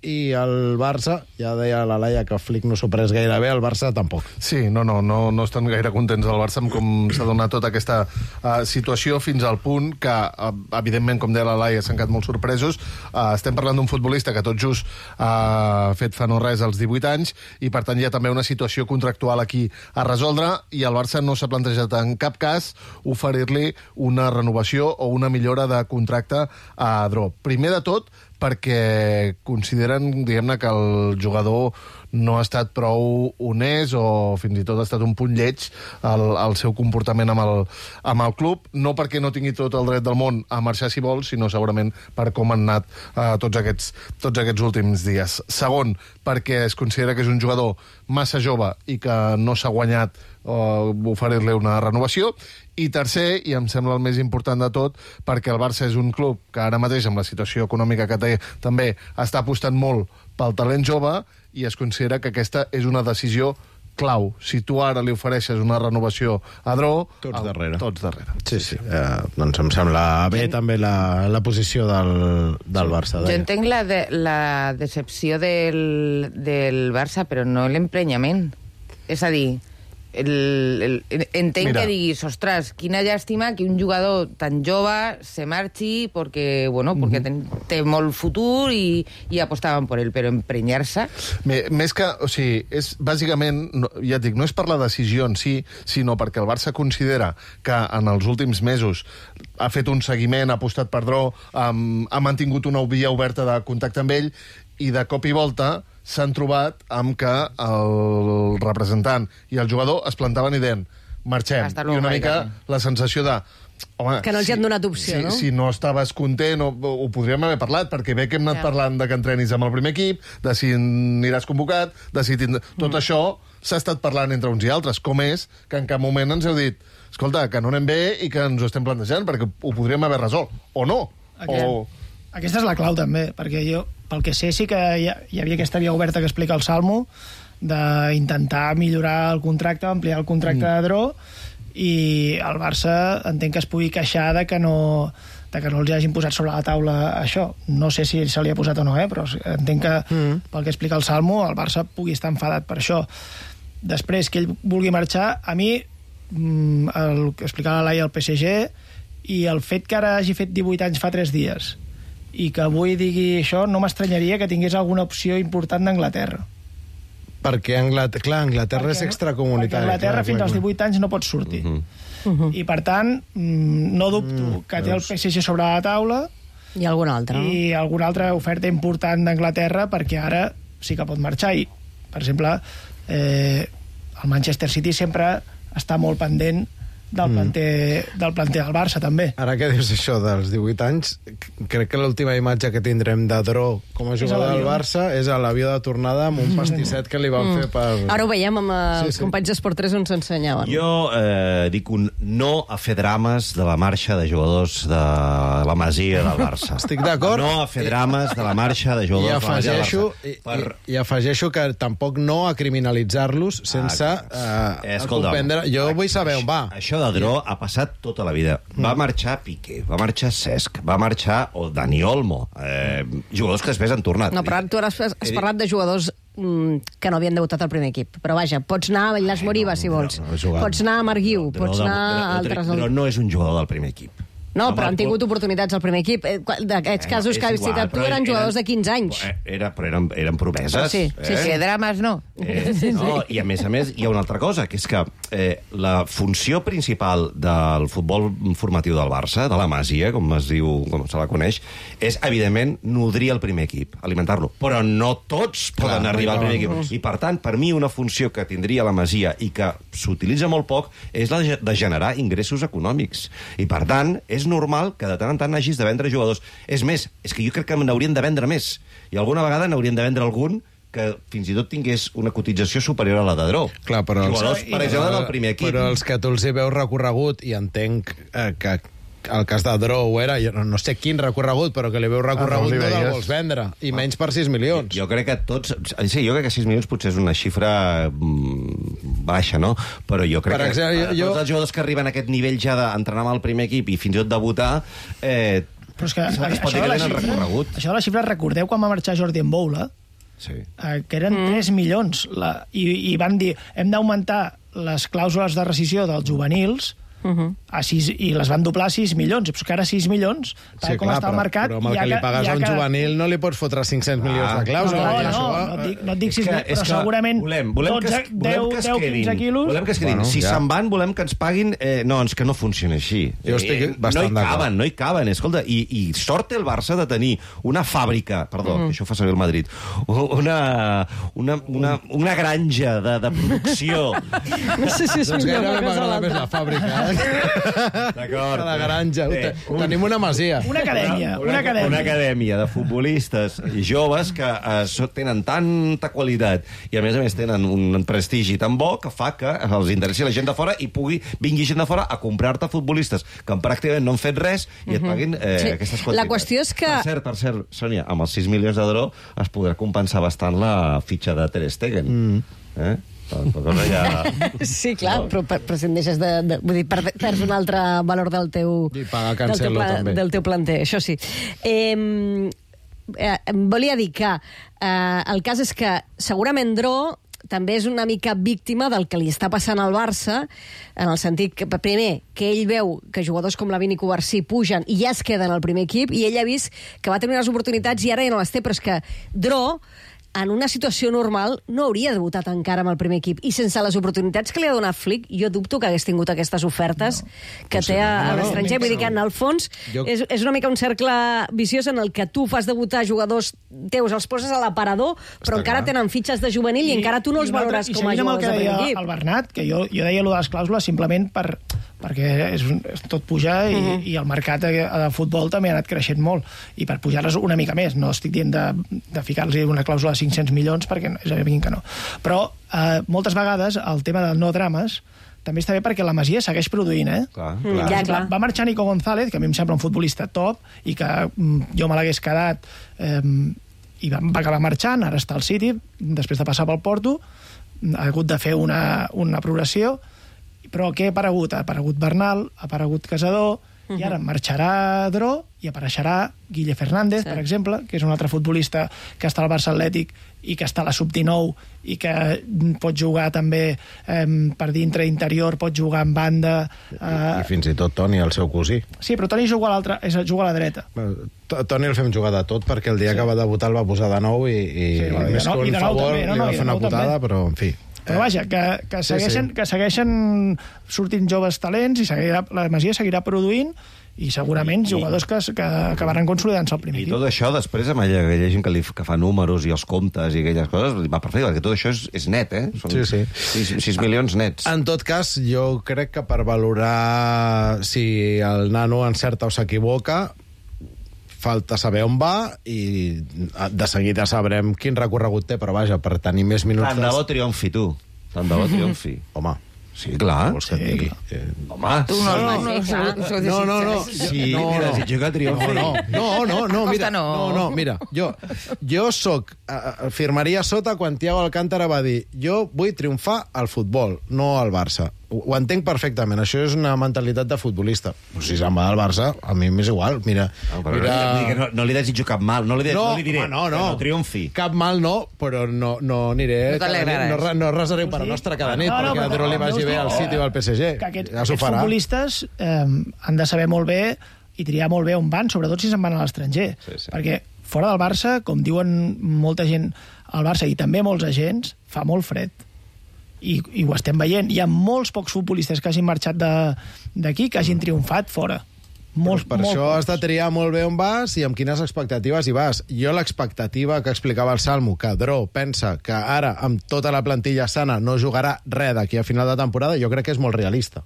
i el Barça, ja deia la Laia que Flick no s'ho pres gaire bé, el Barça tampoc. Sí, no estan gaire contents al Barça amb com s'ha donat tota aquesta situació, fins al punt que, evidentment, com deia la Laia, s'han quedat molt sorpresos. Estem parlant d'un futbolista que tot just ha fet fa no res als 18 anys, i per tant hi ha també una situació contractual aquí a resoldre, i el Barça no s'ha plantejat en cap cas oferir-li una renovació o una millora de contracte a Dro. Primer de tot, perquè consideren, diguem-ne, que el jugador no ha estat prou honest, o fins i tot ha estat un punt lleig el seu comportament amb el club, no perquè no tingui tot el dret del món a marxar si vol, sinó segurament per com han anat tots aquests últims dies. Segon, perquè es considera que és un jugador massa jove i que no s'ha guanyat oferir-li una renovació. I tercer, i em sembla el més important de tot, perquè el Barça és un club que ara mateix, amb la situació econòmica que té, també està apostant molt pel talent jove, i es considera que aquesta és una decisió clau. Si tu ara li ofereixes una renovació a Dro... Tots darrere. Sí. Doncs em sembla bé també la posició del Barça. Jo entenc la decepció del Barça, però no l'emprenyament. És a dir, entenc que diguis, ostres, quina llàstima que un jugador tan jove se marxi perquè té molt futur i apostaven per ell, però emprenyar-se... Més que, o sigui, és bàsicament, ja et dic, no és per la decisió en si, sinó perquè el Barça considera que en els últims mesos ha fet un seguiment, ha apostat per Dro, ha mantingut una via oberta de contacte amb ell, i de cop i volta s'han trobat amb que el representant i el jugador es plantaven i deien marxem. I una mica la sensació de Home, que no els hi han donat opció, no? Si no estaves content, ho podríem haver parlat, perquè bé que hem anat parlant de que entrenis amb el primer equip, de si aniràs convocat, de si tot això s'ha estat parlant entre uns i altres, com és que en cap moment ens heu dit escolta, que no anem bé i que ens ho estem plantejant, perquè ho podríem haver resolt, o no. Aquesta és la clau, també, perquè jo, pel que sé, sí que hi havia aquesta via oberta que explica el Salmo, d'intentar millorar el contracte, ampliar el contracte de Dro, i el Barça entenc que es pugui queixar de que no els hagin posat sobre la taula això. No sé si se li ha posat o no, però entenc que, pel que explica el Salmo, el Barça pugui estar enfadat per això. Després, que ell vulgui marxar, a mi, el que explicava la Laia al PSG, i el fet que ara hagi fet 18 anys fa 3 dies, i que avui digui això, no m'estranyaria que tingués alguna opció important d'Anglaterra. Perquè, Anglaterra és extracomunitari. Perquè Anglaterra fins als 18 anys no pot sortir. I, per tant, no dubto que té el PSG sobre la taula i alguna altra. I alguna altra oferta important d'Anglaterra, perquè ara sí que pot marxar. I, per exemple, el Manchester City sempre està molt pendent del planter del Barça, també. Ara que dius això dels 18 anys, crec que l'última imatge que tindrem de Dro com a jugador del Barça és a l'avió de tornada amb un pastisset que li van fer per... Ara ho veiem amb els companys d'Esport 3 on s'ensenyaven. Jo dic un no a fer drames de la marxa de jugadors de la Masia del Barça. Estic d'acord. No a fer drames de la marxa de jugadors de la Masia del Barça. I afegeixo que tampoc no a criminalitzar-los sense comprendre... Jo vull saber on va. Això de Dro ha passat tota la vida. Va marxar Piqué, va marxar Cesc, va marxar Dani Olmo, jugadors que després han tornat. No, però tu has parlat de jugadors que no havien debutat al primer equip. Però vaja, pots anar a Bailas Moriba, si vols. Pots anar a Marguiu, pots anar a altres... Però no és un jugador del primer equip. No, però han tingut oportunitats al primer equip. D'aquests casos que has citat tu eren jugadors de 15 anys. Però eren promeses. Sí. Drames no. No, i a més hi ha una altra cosa, que és que la funció principal del futbol formatiu del Barça, de la Masia, com es diu, com se la coneix, és, evidentment, nodrir el primer equip, alimentar-lo. Però no tots poden arribar al primer equip. I, per tant, per mi, una funció que tindria la Masia i que s'utilitza molt poc és la de generar ingressos econòmics. I, per tant, és normal que de tant en tant hagis de vendre jugadors. És més, és que jo crec que n'haurien de vendre més. I alguna vegada n'haurien de vendre algun que fins i tot tingués una cotització superior a la de Dro. Clar, però jugadors, per exemple, del primer equip. Però els que tu els hi veus recorregut, i entenc que el cas de Dro ho era, no sé quin recorregut, però que li veus recorregut no el vols vendre, i menys per 6 milions. Jo crec que tots... Sí, jo crec que 6 milions potser és una xifra baixa, no? Però jo crec que tots els jugadors que arriben a aquest nivell ja d'entrenar amb el primer equip i fins i tot debutar... Però és que això de la xifra, recordeu quan va marxar Jordi Mboula, que eren 3 milions, i van dir, hem d'augmentar les clàusules de rescissió dels juvenils a 6, i les van doblar a 6 milions. Però que ara 6 milions, tal com està el mercat... Però amb el que li pagues a un juvenil no li pots fotre 500 milions de clàusula. No et dic 6 milions, però segurament 10-15 quilos... Volem que es quedin. Si se'n van, volem que ens paguin... No, és que no funciona així. Jo estic bastant d'acord. No hi caben. Escolta, i sort té el Barça de tenir una fàbrica, perdó, que això fa servir el Madrid, una granja de producció. No sé si és millor una cosa o l'altra. Més la fàbrica, D'acord. La granja. Tenim una masia. Una acadèmia de futbolistes joves que tenen tanta qualitat i a més tenen un prestigi tan bo que fa que els interessi la gent de fora i vingui gent de fora a comprar-te futbolistes que pràcticament no han fet res i et paguin aquestes quantitats. La qüestió és que... Per cert, Sònia, amb els 6 milions de Dro es podrà compensar bastant la fitxa de Ter Stegen. Sí, clar, però si en deixes de... Vull dir, perds un altre valor del teu planter, això sí. Volia dir que el cas és que segurament Dro també és una mica víctima del que li està passant al Barça, en el sentit que, primer, que ell veu que jugadors com Lavini i Covarsí pugen i ja es queden al primer equip, i ell ha vist que va tenir unes oportunitats i ara ja no les té, però és que Dro, en una situació normal, no hauria debutat encara amb el primer equip. I sense les oportunitats que li ha donat Flick, jo dubto que hagués tingut aquestes ofertes que té a l'estranger. Vull dir que, en el fons, és una mica un cercle viciós en el que tu fas debutar jugadors teus, els poses a l'aparador, però encara tenen fitxes de juvenil i encara tu no els valores com a jugadors de primer equip. El Bernat, que jo deia allò de les clàusules simplement per perquè tot puja i el mercat de futbol també ha anat creixent molt, i per pujar-les una mica més, no estic dient de ficar-los una clàusula de 500 milions, perquè és evident que no. Però moltes vegades el tema de no drames també està bé perquè la Masia segueix produint, Clar. Va marxar Nico González, que a mi em sembla un futbolista top, i que jo me l'hagués quedat, i va acabar marxant, ara està al City, després de passar pel Porto, ha hagut de fer una progressió, però què ha aparegut? Ha aparegut Bernal, ha aparegut Casador, i ara marxarà Dro i apareixerà Guille Fernández, per exemple, que és un altre futbolista que està al Barça Atlètic i que està a la sub-19 i que pot jugar també per dintre interior, pot jugar en banda. I fins i tot Toni, el seu cosí. Sí, però Toni juga a la dreta. Toni el fem jugar de tot, perquè el dia que va debutar el va posar de nou i més que un favor li va fer una putada, però en fi. Però vaja, que segueixen sortint joves talents i la Masia seguirà produint i segurament jugadors que acabaran consolidant-se al primer equip. I tot això, després, amb aquella gent que fa números i els comptes i aquelles coses, va perfecte, perquè tot això és net, Són 6 milions nets. En tot cas, jo crec que per valorar si el nano encerta o s'equivoca, falta saber on va i de seguida sabrem quin recorregut té, però vaja, per tenir més minuts... Tant de bo triomfi, tu. Tant de bo triomfi. Home, sí, clar. Vols que et digui? Home. Tu No. Sí, mira, desitjo que triomfi. No, mira, jo firmaria sota quan Thiago Alcántara va dir jo vull triomfar al futbol, no al Barça. Ho entenc perfectament, això és una mentalitat de futbolista. Si se'n va al Barça, a mi m'és igual, mira... No li desitjo cap mal, no li diré que no triomfi. Cap mal no, però no aniré... No resaré per la nostra cada nit, perquè a Dro li vagi bé al City o al PSG. Aquests futbolistes han de saber molt bé i triar molt bé on van, sobretot si se'n van a l'estranger. Perquè fora del Barça, com diuen molta gent al Barça i també molts agents, fa molt fred. I ho estem veient. Hi ha molts pocs futbolistes que hagin marxat d'aquí, que hagin triomfat fora. Per això has de triar molt bé on vas i amb quines expectatives hi vas. Jo l'expectativa que explicava el Salmo, que Dro pensa que ara, amb tota la plantilla sana, no jugarà res d'aquí a final de temporada, jo crec que és molt realista.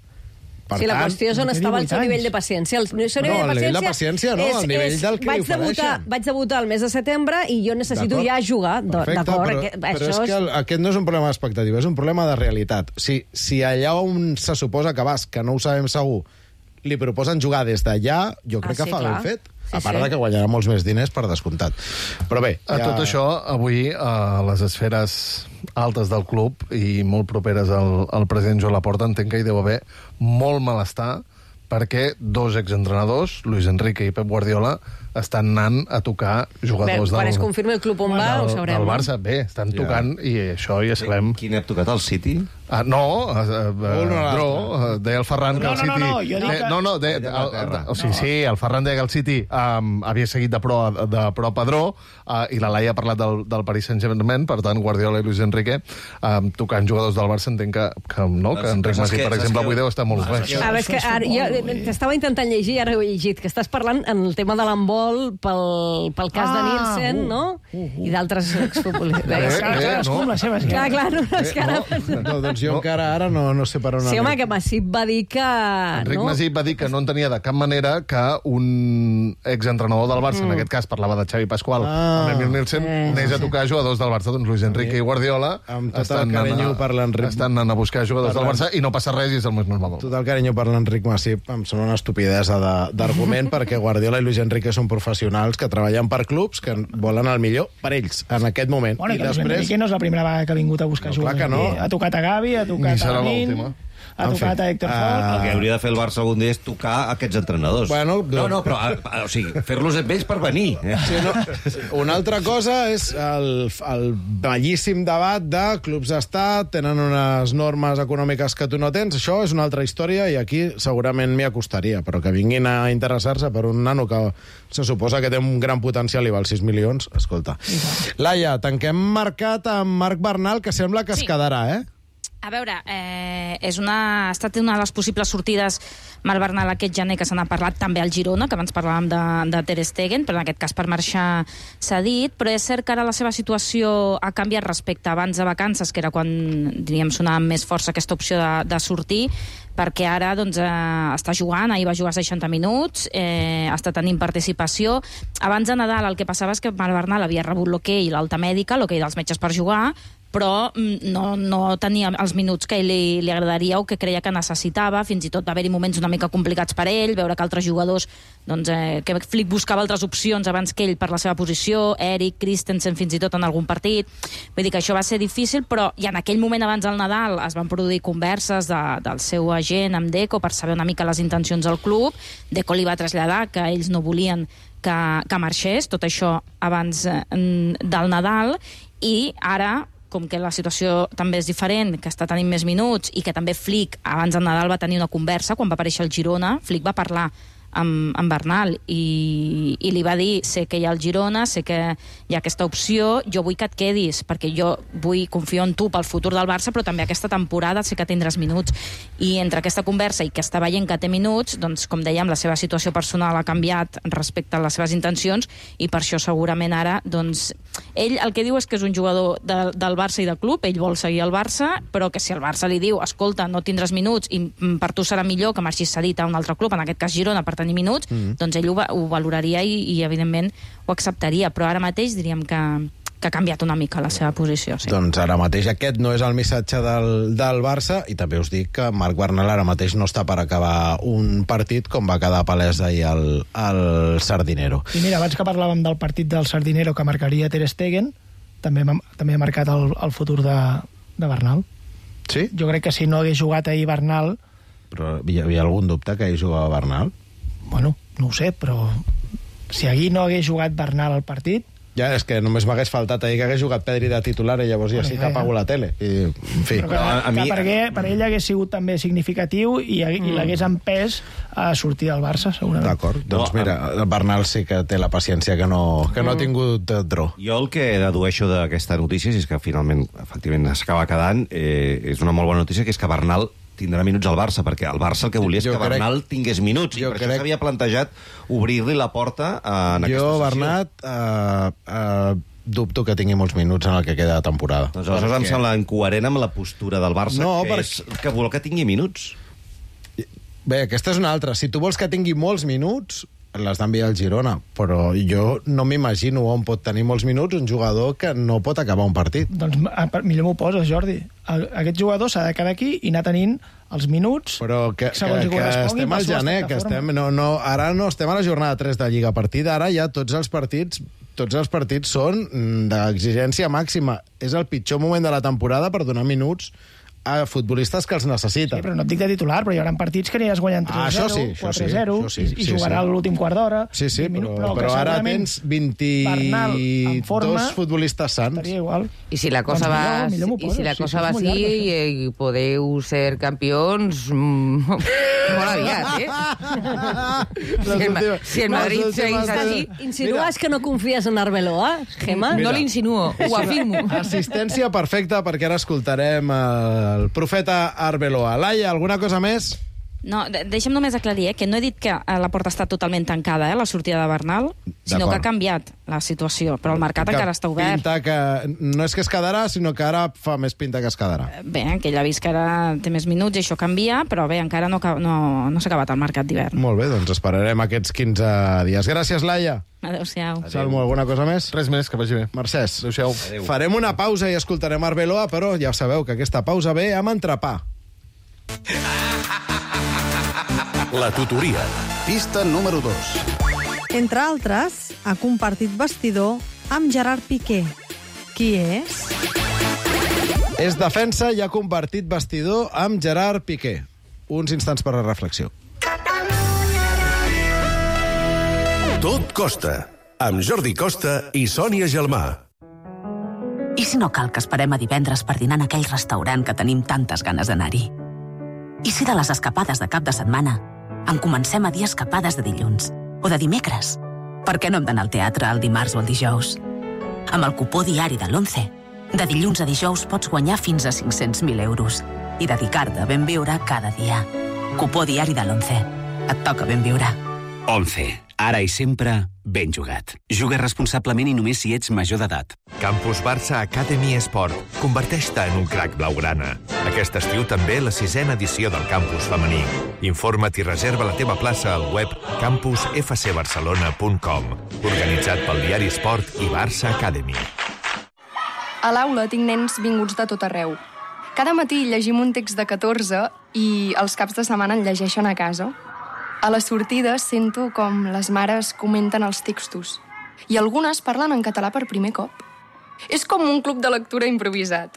Per la qüestió és on estava el seu nivell de paciència. El nivell de paciència no, el nivell del que li ofereixen. Vaig debutar el mes de setembre i jo necessito ja jugar. D'acord, però és que aquest no és un problema d'expectativa, és un problema de realitat. Si allà on se suposa que vas, que no ho sabem segur, li proposen jugar des d'allà, jo crec que fa ben fet. A part de que guanyarà molts més diners, per descomptat. Però bé... Tot això, avui, a les esferes altes del club i molt properes al president Joan Laporta, entenc que hi deu haver molt malestar perquè dos exentrenadors, Luis Enrique i Pep Guardiola, estan anant a tocar jugadors quan es confirmi el club on va, ho sabrem. Del Barça, bé, estan tocant i això ja sabem... Quin ha tocat, el City? No, Dro, deia el Ferran que el City... Sí, el Ferran deia que el City havia seguit de prop a Dro i la Laia ha parlat del Paris Saint-Germain, per tant, Guardiola i Luis Enrique tocant jugadors del Barça, entenc que Enric Masí, per exemple, avui deu estar molt bé. És que jo t'estava intentant llegir, ara ho he llegit, que estàs parlant en el tema de l'handbol pel cas de Nielsen, no? I d'altres exfutbolistes. Clar, és que ara... Doncs jo encara ara no sé per on... Sí, home, que Masip va dir que... Enric Masip va dir que no entenia de cap manera que un exentrenador del Barça, en aquest cas parlava de Xavi Pasqual, amb Emil Nielsen, anés a tocar jugadors del Barça. Doncs Luis Enrique i Guardiola estan anant a buscar jugadors del Barça i no passa res i és el més normal. Tot el carinyo per l'Enric Masip em sembla una estupidesa d'argument, perquè Guardiola i Luis Enrique són professionals que treballen per clubs que volen el millor per ells en aquest moment. Bueno, i després... Enrique no és la primera vegada que ha vingut a buscar jugadors. Ha tocat a Gavi, ha tocat a Lamin, ha tocat a Héctor Fort... El que hauria de fer el Barça algun dia és tocar aquests entrenadors. Però fer-los amb ells per venir. Una altra cosa és el bellíssim debat de clubs d'estat, tenen unes normes econòmiques que tu no tens, això és una altra història i aquí segurament m'hi acostaria, però que vinguin a interessar-se per un nano que se suposa que té un gran potencial i val 6 milions, escolta. Laia, tanquem mercat amb Marc Bernal, que sembla que es quedarà, A veure, ha estat una de les possibles sortides Marc Bernal aquest gener, que se n'ha parlat també al Girona, que abans parlàvem de Ter Stegen, però en aquest cas per marxar s'ha dit, però és cert que ara la seva situació ha canviat respecte abans de vacances, que era quan, diríem, sonava amb més força aquesta opció de sortir, perquè ara doncs, està jugant, ahir va jugar 60 minuts, està tenint participació. Abans de Nadal el que passava és que Marc Bernal havia rebut l'hoquei i l'alta mèdica, l'hoquei dels metges per jugar, però no tenia els minuts que li agradaria o que creia que necessitava. Fins i tot va haver-hi moments una mica complicats per ell, veure que altres jugadors, doncs, que Flick buscava altres opcions abans que ell per la seva posició, Eric, Christensen fins i tot en algun partit. Vull dir que això va ser difícil, però ja en aquell moment abans del Nadal es van produir converses del seu agent amb Deco per saber una mica les intencions del club. Deco li va traslladar que ells no volien que marxés, tot això abans del Nadal, i ara, com que la situació també és diferent, que està tenint més minuts i que també Flick abans del Nadal va tenir una conversa quan va aparèixer al Girona, Flick va parlar amb Bernal i li va dir: sé que hi ha el Girona, sé que hi ha aquesta opció, jo vull que et quedis perquè jo confio en tu pel futur del Barça, però també aquesta temporada sé que tindràs minuts. I entre aquesta conversa i que està veient que té minuts, doncs, com dèiem, la seva situació personal ha canviat respecte a les seves intencions i per això segurament ara, doncs, ell el que diu és que és un jugador del Barça i del club, ell vol seguir al Barça, però que si el Barça li diu: escolta, no tindràs minuts i per tu serà millor que marxis cedit a un altre club, en aquest cas Girona, per tenir minuts, doncs ell ho valoraria i evidentment ho acceptaria, però ara mateix diríem que ha canviat una mica la seva posició. Sí. Doncs ara mateix aquest no és el missatge del Barça, i també us dic que Marc Bernal ara mateix no està per acabar un partit, com va quedar palès ahir el Sardinero. I mira, abans que parlàvem del partit del Sardinero que marcaria Ter Stegen, també ha marcat el futur de Bernal. Sí? Jo crec que si no hagués jugat ahir Bernal... Però hi havia algun dubte que ahir jugava Bernal? Bueno, no ho sé, però si ahir no hagués jugat Bernal al partit... Ja, és que només m'hagués faltat ahir que hagués jugat Pedri de titular i llavors ja sí que apago la tele. I, en fi. Per ell hagués sigut també significatiu i l'hagués empès a sortir del Barça, segurament. D'acord, doncs mira, el Bernal sí que té la paciència que no ha tingut Dro. Jo el que dedueixo d'aquesta notícia és que finalment, efectivament, s'acaba quedant, és una molt bona notícia, que és que Bernal tindrà minuts al Barça, perquè el Barça el que volia és que Bernal tingués minuts, i per això s'havia plantejat obrir-li la porta en aquesta sessió. Bernat, dubto que tingui molts minuts en el que queda de temporada. Doncs aleshores em sembla incoherent amb la postura del Barça, que vol que tingui minuts. Bé, aquesta és una altra. Si tu vols que tingui molts minuts, l'has d'enviar al Girona, però jo no m'imagino on pot tenir molts minuts un jugador que no pot acabar un partit. Doncs millor m'ho poses, Jordi. Aquest jugador s'ha de quedar aquí i anar tenint els minuts... Però que estem al gener, que ara no estem a la jornada 3 de Lliga. A partir d'ara ja tots els partits són d'exigència màxima. És el pitjor moment de la temporada per donar minuts a futbolistes que els necessiten. Sí, però no et dic de titular, però hi haurà partits que aniràs guanyant 3-0, 4-0, i jugarà l'últim quart d'hora. Sí, però ara tens 22 futbolistes sants. Estaria igual. I si la cosa va així, podeu ser campions molt aviat, Si el Madrid seguís així... Insinues que no confies en Arbeloa, Gemma? No l'insinuo, ho afirmo. Assistència perfecta, perquè ara escoltarem el profeta Arbeloa. Laia, alguna cosa més? No, deixa'm només aclarir que no he dit que la porta està totalment tancada, la sortida de Bernal, sinó que ha canviat la situació, però el mercat encara està obert. No és que es quedarà, sinó que ara fa més pinta que es quedarà. Bé, que ell ha vist que ara té més minuts i això canvia, però bé, encara no s'ha acabat el mercat d'hivern. Molt bé, doncs esperarem aquests 15 dies. Gràcies, Laia. Adéu-siau. Salmo, alguna cosa més? Res més, que vagi bé. Mercès. Adéu-siau. Farem una pausa i escoltarem Arbeloa, però ja sabeu que aquesta pausa ve amb entrepà. La tutoria. Pista número 2. Entre altres, ha compartit vestidor amb Gerard Piqué. Qui és? És defensa i ha compartit vestidor amb Gerard Piqué. Uns instants per a la reflexió. Tot costa, amb Jordi Costa i Sònia Gelmà. I si no cal que esperem a divendres per dinar en aquell restaurant que tenim tantes ganes d'anar-hi? I si de les escapades de cap de setmana en comencem a dir escapades de dilluns o de dimecres? Per què no hem d'anar al teatre el dimarts o el dijous? Amb el cupó diari de l'11 De dilluns a dijous pots guanyar fins a 500.000 euros i dedicar-te a ben viure cada dia. Cupó diari de l'11. Et toca ben viure. 11. Ara i sempre, ben jugat. Juga responsablement i només si ets major d'edat. Campus Barça Academy Esport. Converteix-te en un crac blaugrana. Aquest estiu també la 6a edició del campus femení. Informa't i reserva la teva plaça al web campusfcbarcelona.com. Organitzat pel diari Esport i Barça Academy. A l'aula tinc nens vinguts de tot arreu. Cada matí llegim un text de 14 i els caps de setmana en llegeixen a casa. A les sortides sento com les mares comenten els textos i algunes parlen en català per primer cop. És com un club de lectura improvisat.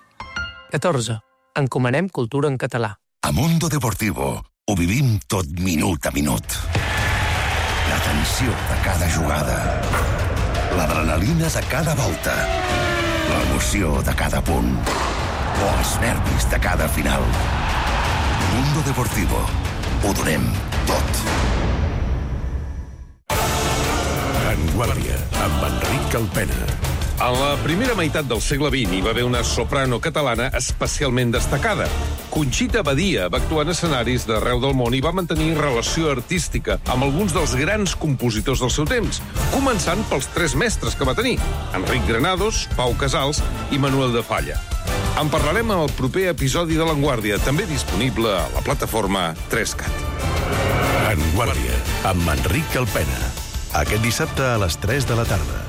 14. Encomanem cultura en català. A Mundo Deportivo ho vivim tot minut a minut. La tensió de cada jugada, l'adrenalina de cada volta, l'emoció de cada punt o els nervis de cada final. Mundo Deportivo. Ho donem tot. En Guàrdia, amb Enric Calpena. En la primera meitat del segle XX hi va haver una soprano catalana especialment destacada. Conxita Badia va actuar en escenaris d'arreu del món i va mantenir relació artística amb alguns dels grans compositors del seu temps, començant pels 3 mestres que va tenir: Enric Granados, Pau Casals i Manuel de Falla. En parlarem en el proper episodi de l'Enguàrdia, també disponible a la plataforma 3CAT. En Guàrdia, amb Enric Calpena. Aquest dissabte a les 3 de la tarda.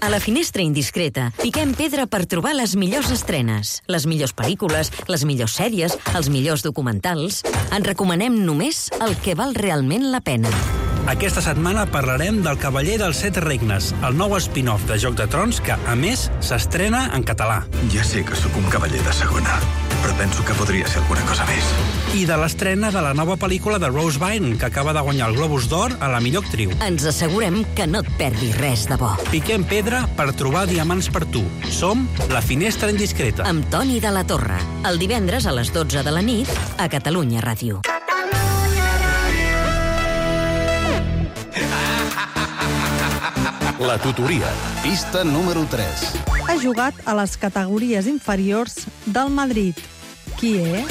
A la Finestra Indiscreta piquem pedra per trobar les millors estrenes, les millors pel·lícules, les millors sèries, els millors documentals. En recomanem només el que val realment la pena. Aquesta setmana parlarem del Cavaller dels 7 Regnes, el nou spin-off de Joc de Trons que, a més, s'estrena en català. Ja sé que sóc un cavaller de segona, però penso que podria ser alguna cosa més. I de l'estrena de la nova pel·lícula de Rose Byrne, que acaba de guanyar el Globus d'Or a la millor actriu. Ens assegurem que no et perdis res de bo. Piquem pedra per trobar diamants per tu. Som La Finestra Indiscreta. Amb Toni de la Torre, el divendres a les 12 de la nit a Catalunya Ràdio. La tutoria, pista número 3. Ha jugat a les categories inferiors del Madrid. Qui és?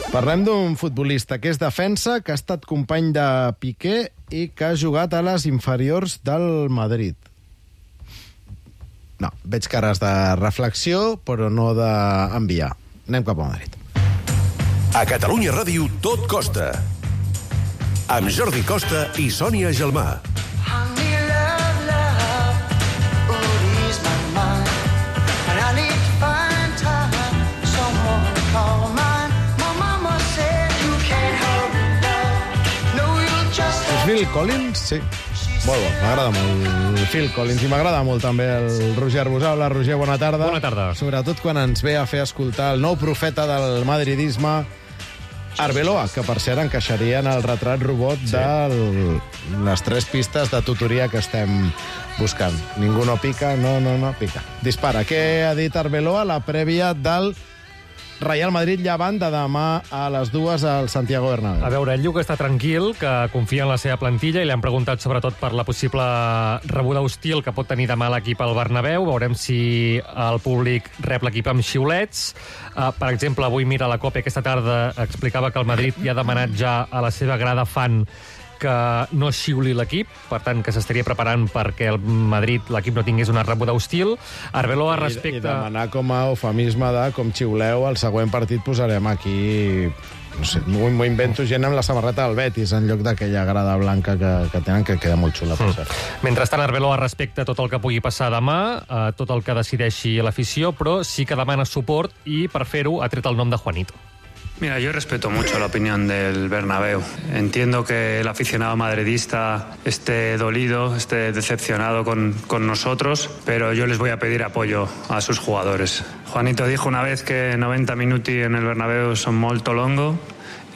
Parlem d'un futbolista que és defensa, que ha estat company de Piqué i que ha jugat a les inferiors del Madrid. No, veig cares de reflexió, però no d'enviar. Anem cap a Madrid. A Catalunya Ràdio tot costa. Amb Jordi Costa i Sònia Gelmà. Phil Collins, sí. Molt bo, m'agrada molt el Phil Collins i m'agrada molt també el Roger Arbusà. Hola, Roger, bona tarda. Bona tarda. Sobretot quan ens ve a fer escoltar el nou profeta del madridisme, Arbeloa, que per cert encaixaria en el retrat robot de les 3 pistes de tutoria que estem buscant. Ningú no pica, no pica. Dispara. Què ha dit Arbeloa? La prèvia del Real Madrid-Llevant de demà a les 2 al Santiago Bernabéu. A veure, ell diu que està tranquil, que confia en la seva plantilla i li han preguntat sobretot per la possible rebuda hostil que pot tenir demà l'equip al Bernabéu. Veurem si el públic rep l'equip amb xiulets. Per exemple, avui Mira la Copa aquesta tarda explicava que el Madrid ja ha demanat ja a la seva grada fan que no xiuli l'equip, per tant, que s'estaria preparant perquè el Madrid, l'equip, no tingués una rebuda hostil. Arbeloa respecte... I demanar com a eufemisme de com xiuleu, el següent partit posarem aquí... No sé, m'ho invento gent amb la samarreta del Betis en lloc d'aquella grada blanca que tenen, que queda molt xula, per cert. Mentrestant, Arbeloa respecta tot el que pugui passar demà, tot el que decideixi l'afició, però sí que demana suport i, per fer-ho, ha tret el nom de Juanito. Mira, yo respeto mucho la opinión del Bernabéu. Entiendo que el aficionado madridista esté dolido, esté decepcionado con nosotros, pero yo les voy a pedir apoyo a sus jugadores. Juanito dijo una vez que 90 minuti en el Bernabéu son molto longo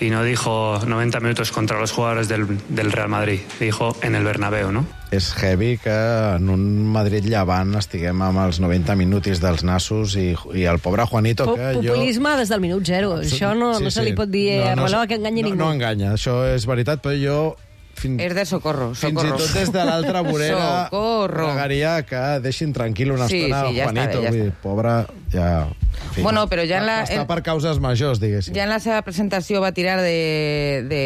y no dijo 90 minutos contra los jugadores del Real Madrid. Dijo en el Bernabéu, ¿no? És heavy que en un Madrid-Llevant estiguem amb els 90 minutis dels nassos i el pobre Juanito que Populisme des del minut 0. Això no se li pot dir a Arbeloa que enganyi ningú. No enganya, això és veritat, però jo És de socorro. Fins i tot des de l'altra vorera pregaria que deixin tranquil una estona Juanito. Pobre, ja... Bueno, però ja en la... Està per causes majors, diguéssim. Ja en la seva presentació va tirar de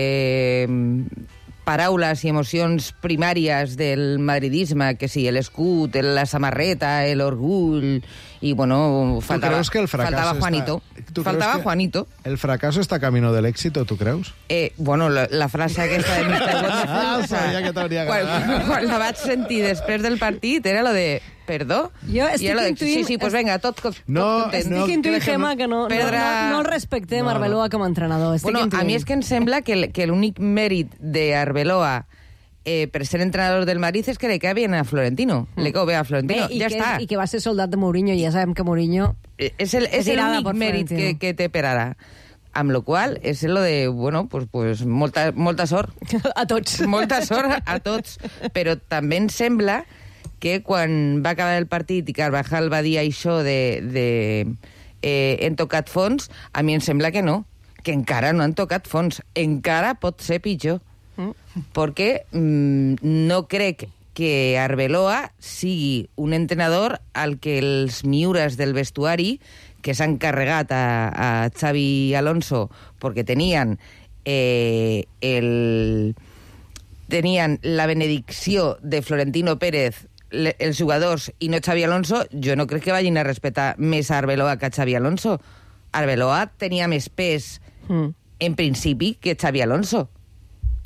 paraules i emocions primàries del madridisme, que sí, l'escut, la samarreta, l'orgull... I, bueno, faltava Juanito. Faltava Juanito. ¿El fracaso está camino del éxito, tu creus? Bueno, la frase aquesta de Mr. Wonderful... Sabia que t'hauria agradat. Quan la vaig sentir després del partit, era lo de... Perdó? Jo estic intuint... Sí, pues venga, tot content. Estic intuint, Gemma, que no el respectem Arbeloa com a entrenador. Bueno, a mi és que em sembla que l'únic mèrit d'Arbeloa per ser entrenador del Madrid és que le cae bien a Florentino. Le cae bé a Florentino. Ja està. I que va ser soldat de Mourinho, i ja sabem que Mourinho... És l'únic mèrit que té per ara. Amb lo qual, és lo de, bueno, pues molta sort. A tots. Molta sort a tots. Però també em sembla que quan va acabar el partit i Carvajal va dir això hem tocat fons, a mi em sembla que no, que encara no han tocat fons. Encara pot ser pitjor. Perquè no crec que Arbeloa sigui un entrenador al que els miures del vestuari que s'han carregat a Xavi Alonso perquè tenien la benedicció de Florentino Pérez els jugadors i no Xavi Alonso, jo no crec que vagin a respectar més a Arbeloa que a Xavi Alonso. Arbeloa tenia més pes en principi que Xavi Alonso.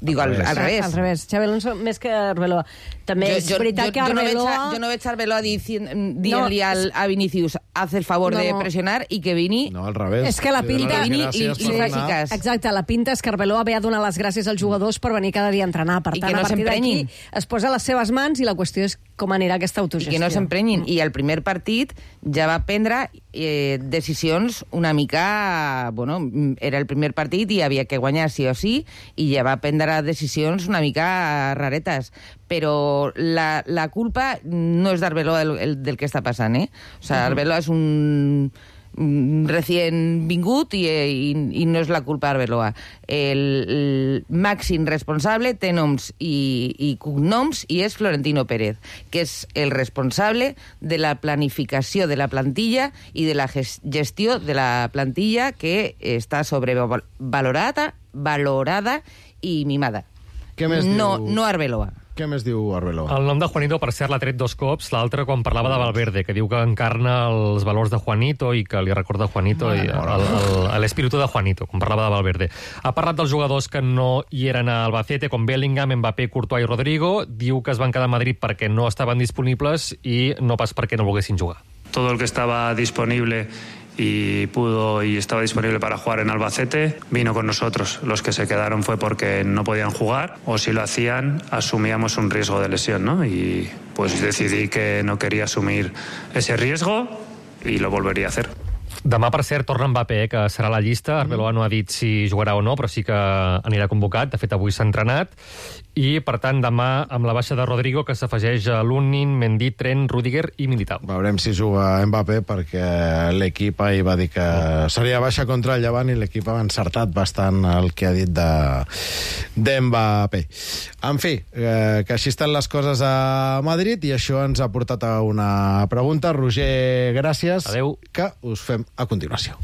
Digo, al revés. Al revés. Xavi Alonso més que Arbeloa. També és veritat que Arbeloa... Jo no veig Arbeloa dient-li a Vinícius haz el favor de pressionar i que Vini... No, al revés. És que la pinta... Vini li faci cas. Exacte, la pinta és que Arbeloa ve a donar les gràcies als jugadors per venir cada dia a entrenar. Per tant, a partir d'aquí es posa a les seves mans i la qüestió és com anirà aquesta autogestió. I que no s'emprenyin. I el primer partit ja va prendre decisions una mica... Bueno, era el primer partit i havia que guanyar sí o sí, i ja va prendre decisions una mica raretes. Però la culpa no és d'Arbeloa del que està passant, O sigui, Arbeloa és un recient vingut i no és la culpa d'Arbeloa. El màxim responsable té noms i cognoms i és Florentino Pérez, que és el responsable de la planificació de la plantilla i de la gestió de la plantilla que està sobrevalorada i mimada. No Arbeloa. Què més diu Arbeloa? El nom de Juanito, per cert, l'ha tret 2 cops. L'altre quan parlava de Valverde, que diu que encarna els valors de Juanito i que li recorda Juanito i l'espíritu de Juanito, quan parlava de Valverde. Ha parlat dels jugadors que no hi eren a Albacete, com Bellingham, Mbappé, Courtois i Rodrigo. Diu que es van quedar a Madrid perquè no estaven disponibles i no pas perquè no volguessin jugar. Todo el que estaba disponible y estaba disponible para jugar en Albacete, vino con nosotros. Los que se quedaron fue porque no podían jugar, o si lo hacían, asumíamos un riesgo de lesión, ¿no? Y pues decidí que no quería asumir ese riesgo y lo volvería a hacer. Demà, per cert, torna Mbappé, que serà a la llista. Arbeloa no ha dit si jugarà o no, però sí que anirà convocat. De fet, avui s'ha entrenat. I, per tant, demà, amb la baixa de Rodrigo, que s'afegeix a Lunin, Mendy, Trent, Rüdiger i Militao. Veurem si juga Mbappé, perquè l'equip ahir va dir que seria baixa contra el Llevant i l'equip ha encertat bastant el que ha dit d'Mbappé. En fi, que així estan les coses a Madrid i això ens ha portat a una pregunta. Roger, gràcies. Adéu. Que us fem a continuació.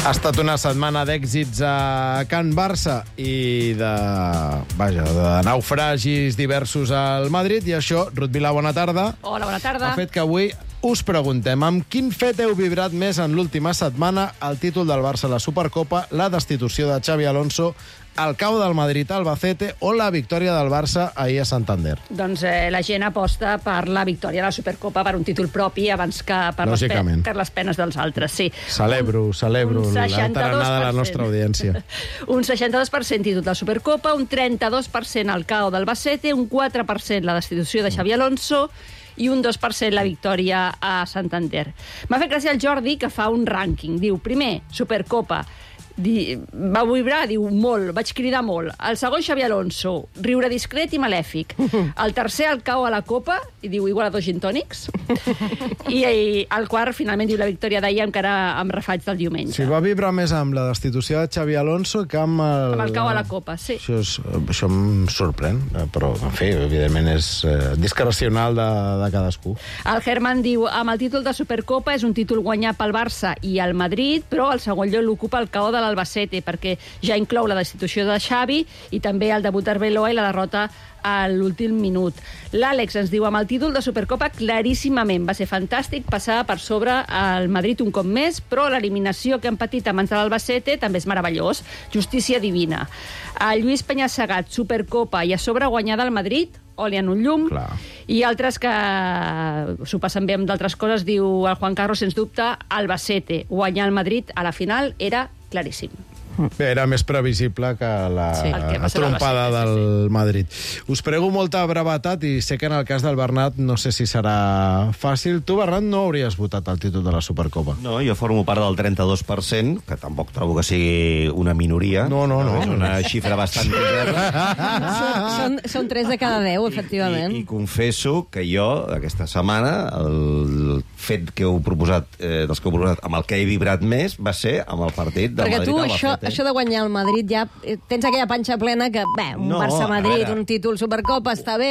Ha estat una setmana d'èxits a Can Barça i de naufragis diversos al Madrid, i això, Ruth Vilà, bona tarda. Hola, bona tarda. Ha fet que avui us preguntem amb quin fet heu vibrat més en l'última setmana: el títol del Barça a la Supercopa, la destitució de Xavi Alonso, el cau del Madrid a Albacete o la victòria del Barça ahir a Santander? Doncs la gent aposta per la victòria a la Supercopa, per un títol propi abans que per les penes dels altres, sí. Celebro l'entaranada de la nostra audiència. Un 62% títol de la Supercopa, un 32% el cau del Albacete, un 4% la destitució de Xavi Alonso i un 2% la victòria a Santander. M'ha fet gràcia el Jordi, que fa un rànquing. Diu, primer, Supercopa, Va vibrar, diu, molt, vaig cridar molt. El segon, Xabi Alonso, riure discret i malèfic. El tercer, el cau a la copa, i diu, igual a 2 gin tònics. I el quart, finalment, diu la victòria d'ahir, encara amb refaig del diumenge. Sí, va vibrar més amb la destitució de Xabi Alonso que amb el... Amb el cau a la copa, sí. Això em sorprèn, però, en fi, evidentment és discrecional de cadascú. El Herman diu, amb el títol de Supercopa és un títol guanyat pel Barça i el Madrid, però el segon lloc l'ocupa el cau de l'Albacete, perquè ja inclou la destitució de Xavi i també el debut d'Arbeloa i la derrota a l'últim minut. L'Àlex ens diu, amb el títol de Supercopa claríssimament va ser fantàstic passar per sobre el Madrid un cop més, però l'eliminació que han patit a mans de l'Albacete també és meravellós. Justícia divina. El Lluís Penyassegat, Supercopa i a sobre guanyada al Madrid, oli en un llum. Clar. I altres que s'ho passen bé amb d'altres coses, diu el Juan Carlos, sens dubte, Albacete. Guanyar el Madrid a la final era claríssim. Bé, era més previsible que la trompada del Madrid. Us prego molta brevetat i sé que en el cas del Bernat no sé si serà fàcil. Tu, Bernat, no hauries votat el títol de la Supercopa. No, jo formo part del 32%, que tampoc trobo que sigui una minoria. No. És una xifra bastant Són 3 de cada 10, efectivament. I confesso que jo, aquesta setmana, el fet que heu proposat, dels que heu proposat, amb el que he vibrat més, va ser amb el partit del Madrid al Barça. Això de guanyar el Madrid ja... Tens aquella panxa plena que, un Barça-Madrid, un títol Supercopa, està bé...